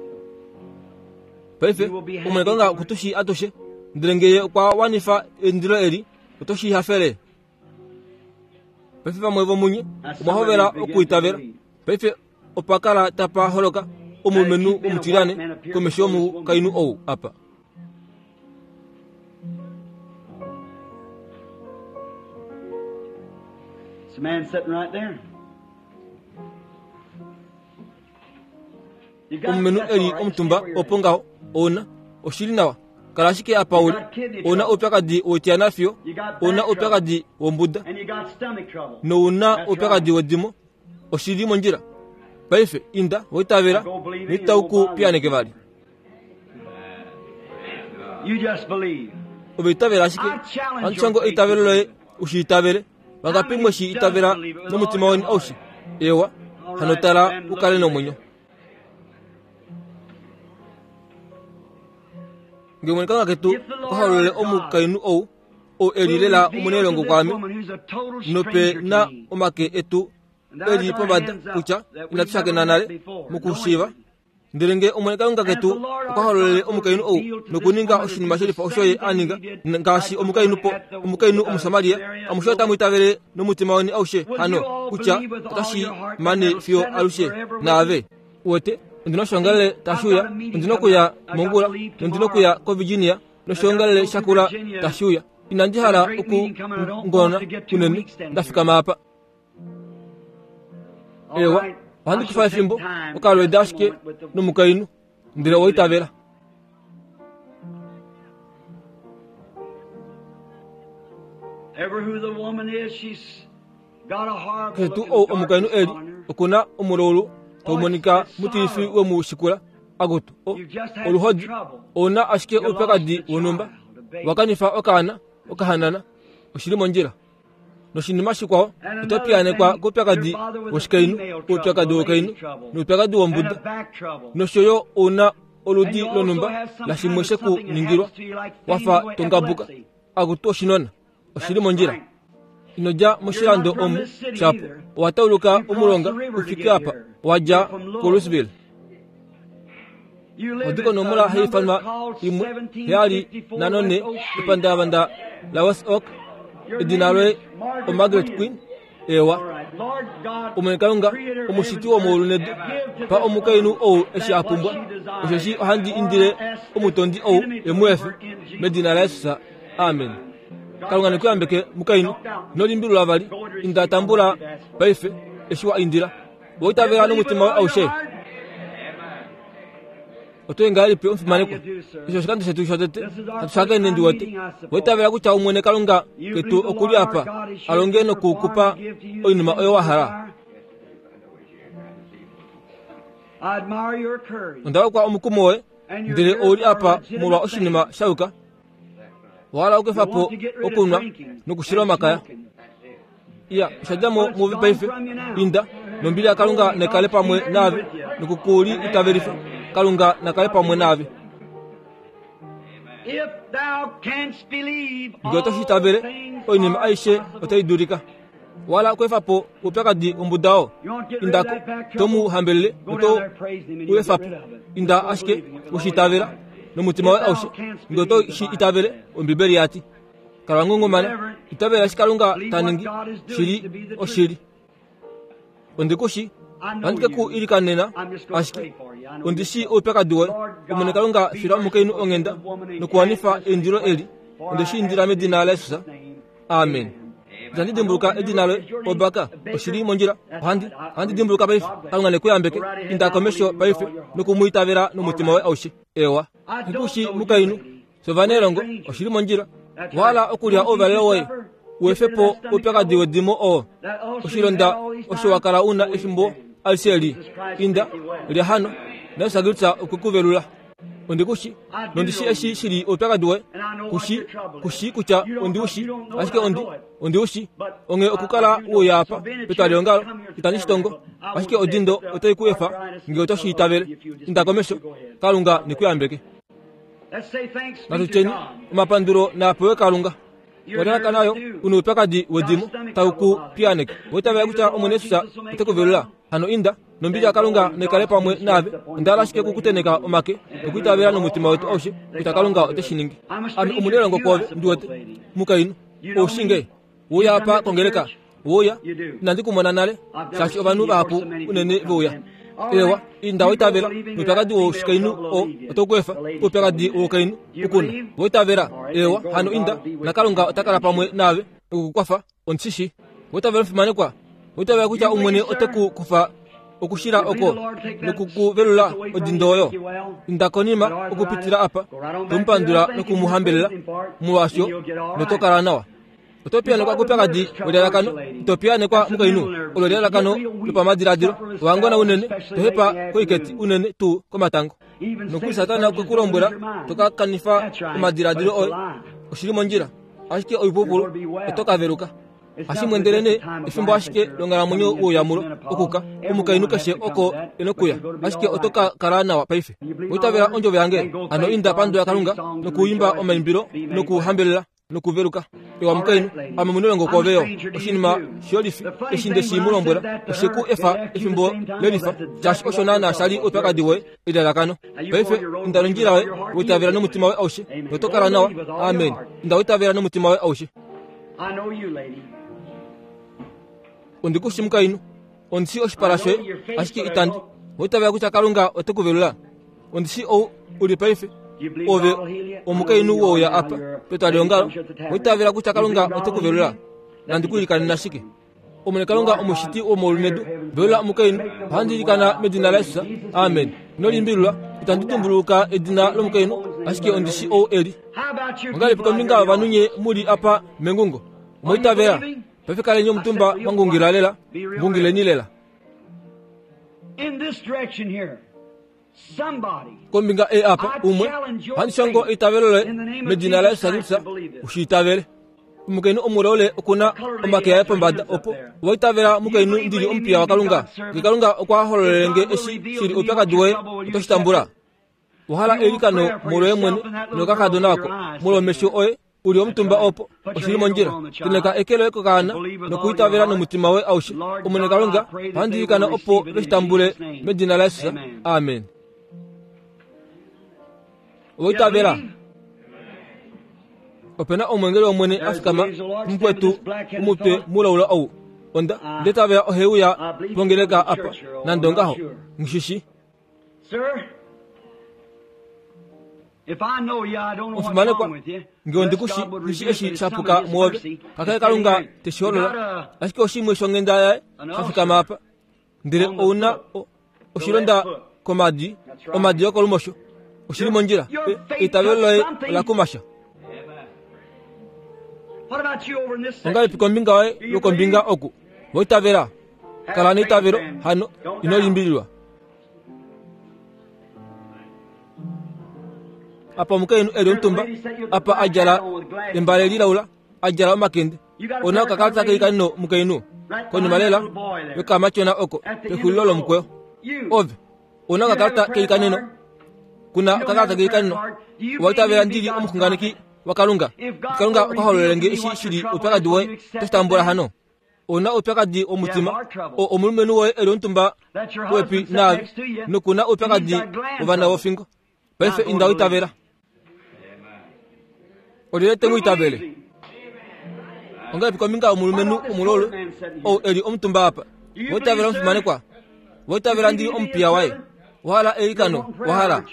Paife, Omwene Kalunga oku tu shii atushe. Ndele nge Ye okwa wanifa eindilo eli, oto shi hafele. Paife vamwe vomunye omwa hovela okuitavela. Paife opa kala tapa holoka omulumenhu omutilyane komesho yomukainhu ou apa. Omulumenhu e li omutumba opo ngaho, ou na oshili nawa. Kala ashike apa u li. Ou na oupyakadi woitya fiyo, ou na oupyakadi wombuda, nou na oupyakadi wedimo. Oshi li mondjila. Paife inda, wa itavela, noitau ku piyaaneke vali. Ove itavela ashike. Ohandi shongo eitavelo loye u shi itavele. Vangapi mwe shi itavela nomutima weni aushe? Ewa, hano tala u kale nomwenyo. Nge Omwene Kalunga ketu okwa hololele omukainhu ou, ou e li lela omunailongo kwaame, nope na omake etu e li pombada kutya inatu shakena nale mokushiiva, Ndele nge Omwene Kalunga ketu okwa hololele omukainhu ou nokuninga oshinima shelifa osho ye a ninga, ngaashi omukainhu po omukainhu Omusamaria, amushe otamu itavele nomutima weni aushe hano kutya otashi mane fiyo alushe naave. Uwete, ondi na oshoongalele tashi uya, ondi na okuya mongula, nondi na okuya koVirginia noshoongalele shakula tashi uya. Inandi hala oku ngona unene, nda fikama apa. Ewa, ohandi kufa efimbo okalweeda ashike nomukainhu, ndele owa itavela. Keshe tuu ou omukainhu e li, oku na omulaulu tau monika mutilifi we mu shikula. Akutu, o, oluhodi, ou na ashike oupyakadi wonhumba. Wa kanifa okaana, okahanana. Oshi li mondjila. Noshinima shikwao, oto piyaanekwa koupyakadi woshikainhu, oupyakadi wokainhu noupyakadi wombuda, nosho yo ou na oludi lonhumba lashimwe she ku ningilwa, wa fa to ngabuka. Akutu oshinona, oshi li mondjila. Ino dja moshilando omu, shapo owa tauluka omulonga u fike apa, wa dja kuLouisville. Odi konomola hai ifanwa 174 epandavanda laWest Oak. Edina loye oMargaret Queen. Ewa. Omwene Kalunga, omushiti womaulu nedu, pa omukainhu ou eshi a pumbwa, osheshi ohandi indile omutondi ou e mu efe, medina laJesus. Amen. Kalunga ne ku yambeke, mukainhu. Ino limbilula vali. Inda tambula paife eshi wa indila. Owa itavela nomutima woye aushe? Oto i ngahelipi omufimanekwa? Eshi oshikando shetu shotete hatu shakene ndi wete. Owa itavela kutya Omwene Kalunga ketu oku li apa a longe noku ku pa oinima oyo wa hala? Onda hokwa omukumo woye, ndele ou li apa molwa oshinima sha yuka. Owa hala okuefa po okunwa nokushila omakaya. Iya, osha dja mo muve paife. Inda, nombili yaKalunga naikale pamwe naave, noku ku li itavelifa. Kalunga na kale pamwe naave. Ngee oto shi itavele, oinima aishe otai dulika. Owa hala okuefa po oupyakadi wombuda oo? Inda ko, to mu hambelele noto u efa po. Inda ashike u shi itavela nomutima woye aushe. Ngee oto shi itavele, Ombibeli ya ti. Kala wa ngungumana, itavela eshi Kalunga ta ningi shi li oshili. Ondi ku shi, ohandi ke ku ilikanena ashike. Ondi shii oupyakadi woye. Omwene Kalunga, fila omukainhu onghenda nokuwanifa eindilo eli. Onde shi indila medina laJesus. Amen. Itandi dimbuluka edina loye, Obaka. Oshi li mondjila. Ohandi, ohandi dimbuluka paife. Kalunga ne ku yambeke. Inda komesho paife noku mu itavela nomutima woye aushe. Ewa. Nghi ku shii, mukainhu. Sovanelongo, oshi li mondjila. Owa hala okulya ouvalelo woye? U efe po oupyakadi wedimo oo, oshilonda osho wa kala u na efimbo alishe eli. Inda, lya hano, naJesus Kristus okwe ku velula. Ondi ku shi, nondi shi eshi shi li oupyakadi woye. Ku shi, ku shi kutya ondi u shi, ashike ondi, ondi u shi. Onghee okukala we uya apa petwaliongalo, itandi shi tongo, ashike odindo otai ku efa nge oto shi itavele. Inda komesho, Kalunga ne ku yambeke. Natu tyeni omapandulo naa pewe Kalunga. Olalakana yo u na oupyakadi wedimo tau ku piyaaneke. Owa itavela kutya Omwene Jesus ote ku velula? Hano inda, nombili yaKalunga nai kale pamwe naave. Onda hala ashike oku ku tenheka omake nokwiitavela nomutima wetu aushe kutya Kalunga ote shi ningi. Ame omunailongo kwoove, ndi wete. Mukainhu, ou shii nge? We uya apa kongeleka? We uya? Inandi ku mona nale, shaashi ovanhu vahapu unene ve uya. Eewa, inda wa itavela, noupyakadi woshikainhu oo oto ku efa, oupyakadi woukainhu u ku na. Wa itavela? Eewa, hano inda, naKalunga ota kala pamwe naave oku ku kwafa. Ondi shi shii. Wa itavela omufimanekwa? Wa itavela kutya Omwene ote ku kufa okushila oko noku ku velula odindo oyo? Inda konima okupitila apa, to mu pandula noku mu hambelela molwaasho, noto kala nawa. Oto piyaanekwa koupyakadi welalakano, ito piyaanekwa mukainhu olo elalakano lopamadiladilo. Owa ngona unene, to hepa koiketi unene tuu komatango. Nokuli Satana okwe ku lombwela to ka kanifa omadiladilo oye. Oshi li mondjila, ashike oipupulu oto ka veluka. Hashi mwendele nee efimbo ashike longhalamwenyo wouyamulo okuka omukainhu keshe oko e nokuya, ashike oto ka kala nawa paife. Oitavela ondjovo yange, hano inda pandu yaKalunga nokuimba omaimbilo nokuhambelela nokuveluka. Ewa mukainhu, ame omunelongo kwoove yo. Oshinima shiyolifi eshi nde shi mu lombwela, oshe ku efa efimbo lelifa, shaashi osho naanaa sha li oupyakadi woye, elalakano. Paife inda nondjila yoye, waitavela nomutima woye aushe, noto kala nawa. Amen. Inda waitavela nomutima woye aushe. Ondi ku shi mukainhu, ondi shii oshipala shoye, ashike itandi waitavela kutya Kalunga ote ku velula. Ondi shii ou u li paife, ove omukainhu wouya apa petwaliongalo, waitavela kutya Kalunga ote ku velula. Nandi ku ilikanena shike? Omwene Kalunga omushiti womaulu nedu, velula omukainhu, ohandi ilikana medina laJesus. Amen. Ino limbililwa, itandi tumbuluka edina lomukainhu, ashike ondi shi ou e li. Ongahelipi kombinga yovanhu nye mu li apa mengungo? Omwa itavela? Paife kaleni omutumba mwa ngungila lela, ngungileni lela. Kombinga ei apa, umwe, ohandi shongo eitavelo loye medina laJesus Kristus, u shi itavele. Omukainhu omuleule oku na omake aye pombada opo. Owa itavela mukainhu ndi li omupiya waKalunga? Nge Kalunga okwa hololele nge eshi shi li oupyakadi woye, oto shi tambula? Owa hala eilikano molwoye mwene nokakadona oko, molwomesho oye u li omutumba opo, oshi li mondjila. Tenheka eke loye kokaana nokuitavela nomutima woye aushe. Omwene Kalunga, ohandi ilikana opo ve shi tambule medina laJesus. Amen. Owa itavela? Ope na omwengeli wOmwene a fikama mukwetu omutwe mulaula ou. Onda ndetavela ohe uya pongeleka apa, nande ongaho, nghi shi. Omufimanekwa, nge ondi ku shi shi eshi sha puka mwoove, kakele Kalunga te shi holola, ashike oshimwe shonghenda yaye sha fikama apa. Ndele ou na oshilonda komadi, omadi yokolumosho. Oshi li mondjila. Eitavelo loye ola kuma sha. Ongahelipi kombinga yoye yokombinga oku? Wa itavela? Kala neitavelo, hano ino limbililwa. Apa omukainhu e li omutumba, apa a djala embale lilaula, a djala omakende. Ona okakalata keilikano mukainhu, konima lela yokamatyona oko pexulilo lomukweyo. Ove, ona okakalata keilikaneno? Kuna okakalata keilikaneno? Owa itavela ndi li omuxunganeki waKalunga? Kalunga okwa hololele nge eshi shi li oupyakadi woye, oto shi tambula hano? Ou na oupyakadi womutima, o omulumenhu woye e li omutumba popepi naave, noku na oupyakadi wovana vofingo. Paife inda uitavela. Olyelye te mu itavele? Ongahelipi kombinga yomulumenhu omulolo ou e li omutumba apa? Wa itavela omufimanekwa? Wa itavela ndi li omupiya waye? Wa hala eilikano? Wa hala?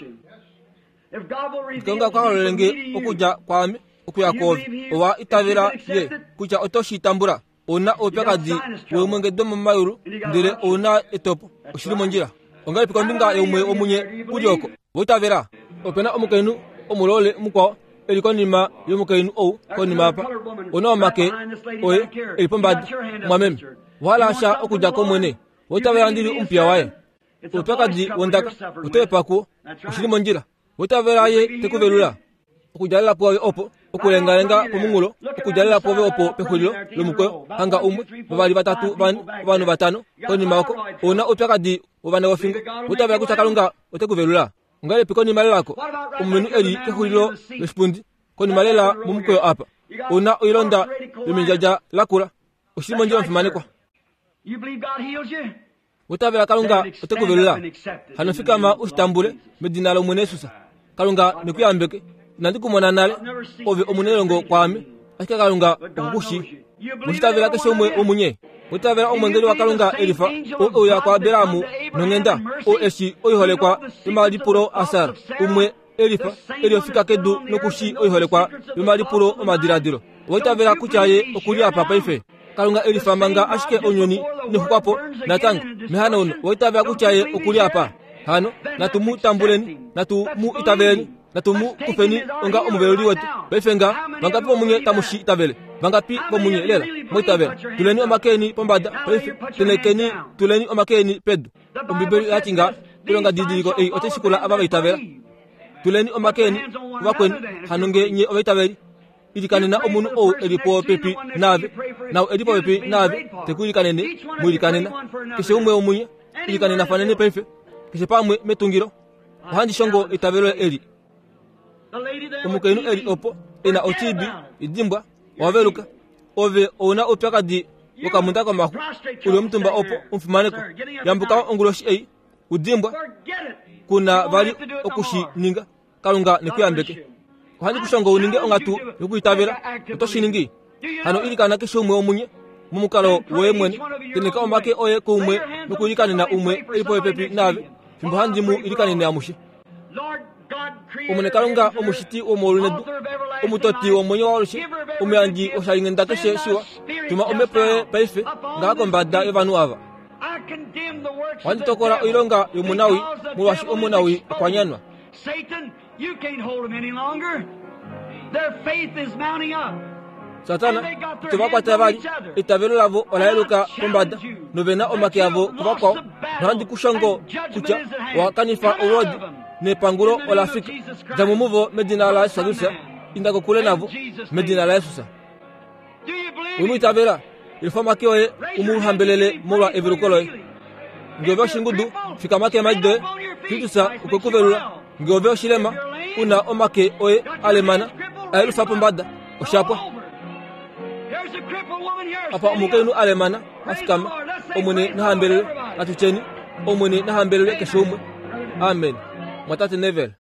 Kalunga okwa hololele nge okudja kwaame okuya kwoove. Owa itavela ye kutya oto shi tambula? Ou na oupyakadi weemwenge domomayulu ndele ou na etopo. Oshi li mondjila. Ongahelipi kombinga yaumwe womunye u li oko? Wa itavela? Ope na omukainhu omulole mukwao e li konima yomukainhu ou konima apa. Ou na omake oye e li pombada. Mwameme, owa hala sha okudja kOmwene? Wa itavela ndi li omupiya waye? Oupyakadi wondaka oto epa kuo. Oshi li mondjila. Witavela ye te ku velula. Okudjalela pwoove opo, okulengalenga pomunghulo, okudjalela pwoove opo pexulilo lomukweyo, hanga umwe, vavali, vatatu, vane, ovanhu vatano, konima oko, ou na oupyakadi wovana vofingo. Witavela kutya Kalunga ote ku velula. Ongahelipi konima lelako, omulumenhu e li kexulilo loshipundi, konima lela momukweyo apa, ou na oilonda yomendjadja lakula. Oshi li mondjila omufimanekwa. Utavela Kalunga ote ku velula. Hano fikama u shi tambule medina lOmwene Jesus. Kalunga ne ku yambeke. Inandi ku mona nale, ove omunelongo kwaame, ashike Kalunga oku ku shii. Mushitavela keshe umwe womunye. Utavela omwengeli waKalunga elifa ou e uya kuAbraham nonghenda, ou e shii oiholekwa yomalipulo aSara, umwe elifa e li ofika kedu noku shii oiholekwa yomalipulo omadiladilo. Owa itavela kutya ye oku li apa paife? Kalunga elifa manga ashike ounyuni inau po natango mehanauno. Owa itavela kutya ye oku li apa? Hano natu mu tambuleni, natu mu itaveleni, natu mu kufeni onga omuveluli wetu. Paife nga vangapi vomunye tamu shi itavele? Vangapi vomunye lela mwa itavela? Tuleni omake eni pombada paife, tenhekeni, tuleni omake eni pedu. Ombibeli oya ti nga, Oilonga didiliko ei otai shikula ava va itavela. Tuleni omake eni kuvakweni, hano nge nye ovaitaveli. Ilikanena omunhu ou e li popepi naave, naau e li popepi naave te ku ilikanene, mu ilikanena. Keshe umwe womunye, ilikanena paife, keshe pamwe metungilo. Ohandi shongo eitavelo eli. Omukainhu e li opo e na otiibi, idimbwa, owa veluka. Ove ou na oupyakadi wokamunda komaxu, u li omutumba opo, omufimanekwa. Yambuka onguloshi ei, u dimbwa, ku na vali oku shi ninga. Kalunga ne ku yambeke. Ohandi ku shongo u ninge onghatu yokwiitavela. Oto shi ningi? Hano ilikana keshe umwe womunye momukalo woye mwene. Tenheka omake oye kuumwe nokuilikanena umwe e li popepi naave, fimbo handi mu ilikanene amushe. Omwene Kalunga, omushiti womaulu nedu, omutoti womwenyo waalushe, omuyandji woshalinghenda keshe shiwa, tuma omhepo yoye paife ngaha kombada yovanhu ava. Ohandi tokola oilonga yomunawii, molwaashi omunawii okwa nyanwa. Satana, ito va kwata vali. Eitavelo lavo ola yeluka pombada, nove na omake avo kuvakwao. Nohandi ku shongo kutya owa kanifa olwoodi, nepangulo ola fika. Dja mo muvo medina laJesus Kristus. Inda kokule navo medina laJesus. We mu itavela? Yelufa omake oye u mu hambelele molwa eveluko loye. Nge ove oshingudu, fikama keemhadi doye. Kristus okwe ku velula. Nge ove oshilema, u na omake oye a lemana, a yelufa pombada. Osha pwa. Apa omukainhu a lemana, a fikama. Omwene na hambelelwe. Natu tyeni, Omwene na hambelelwe keshe umwe. Amen. Mwatate Neville.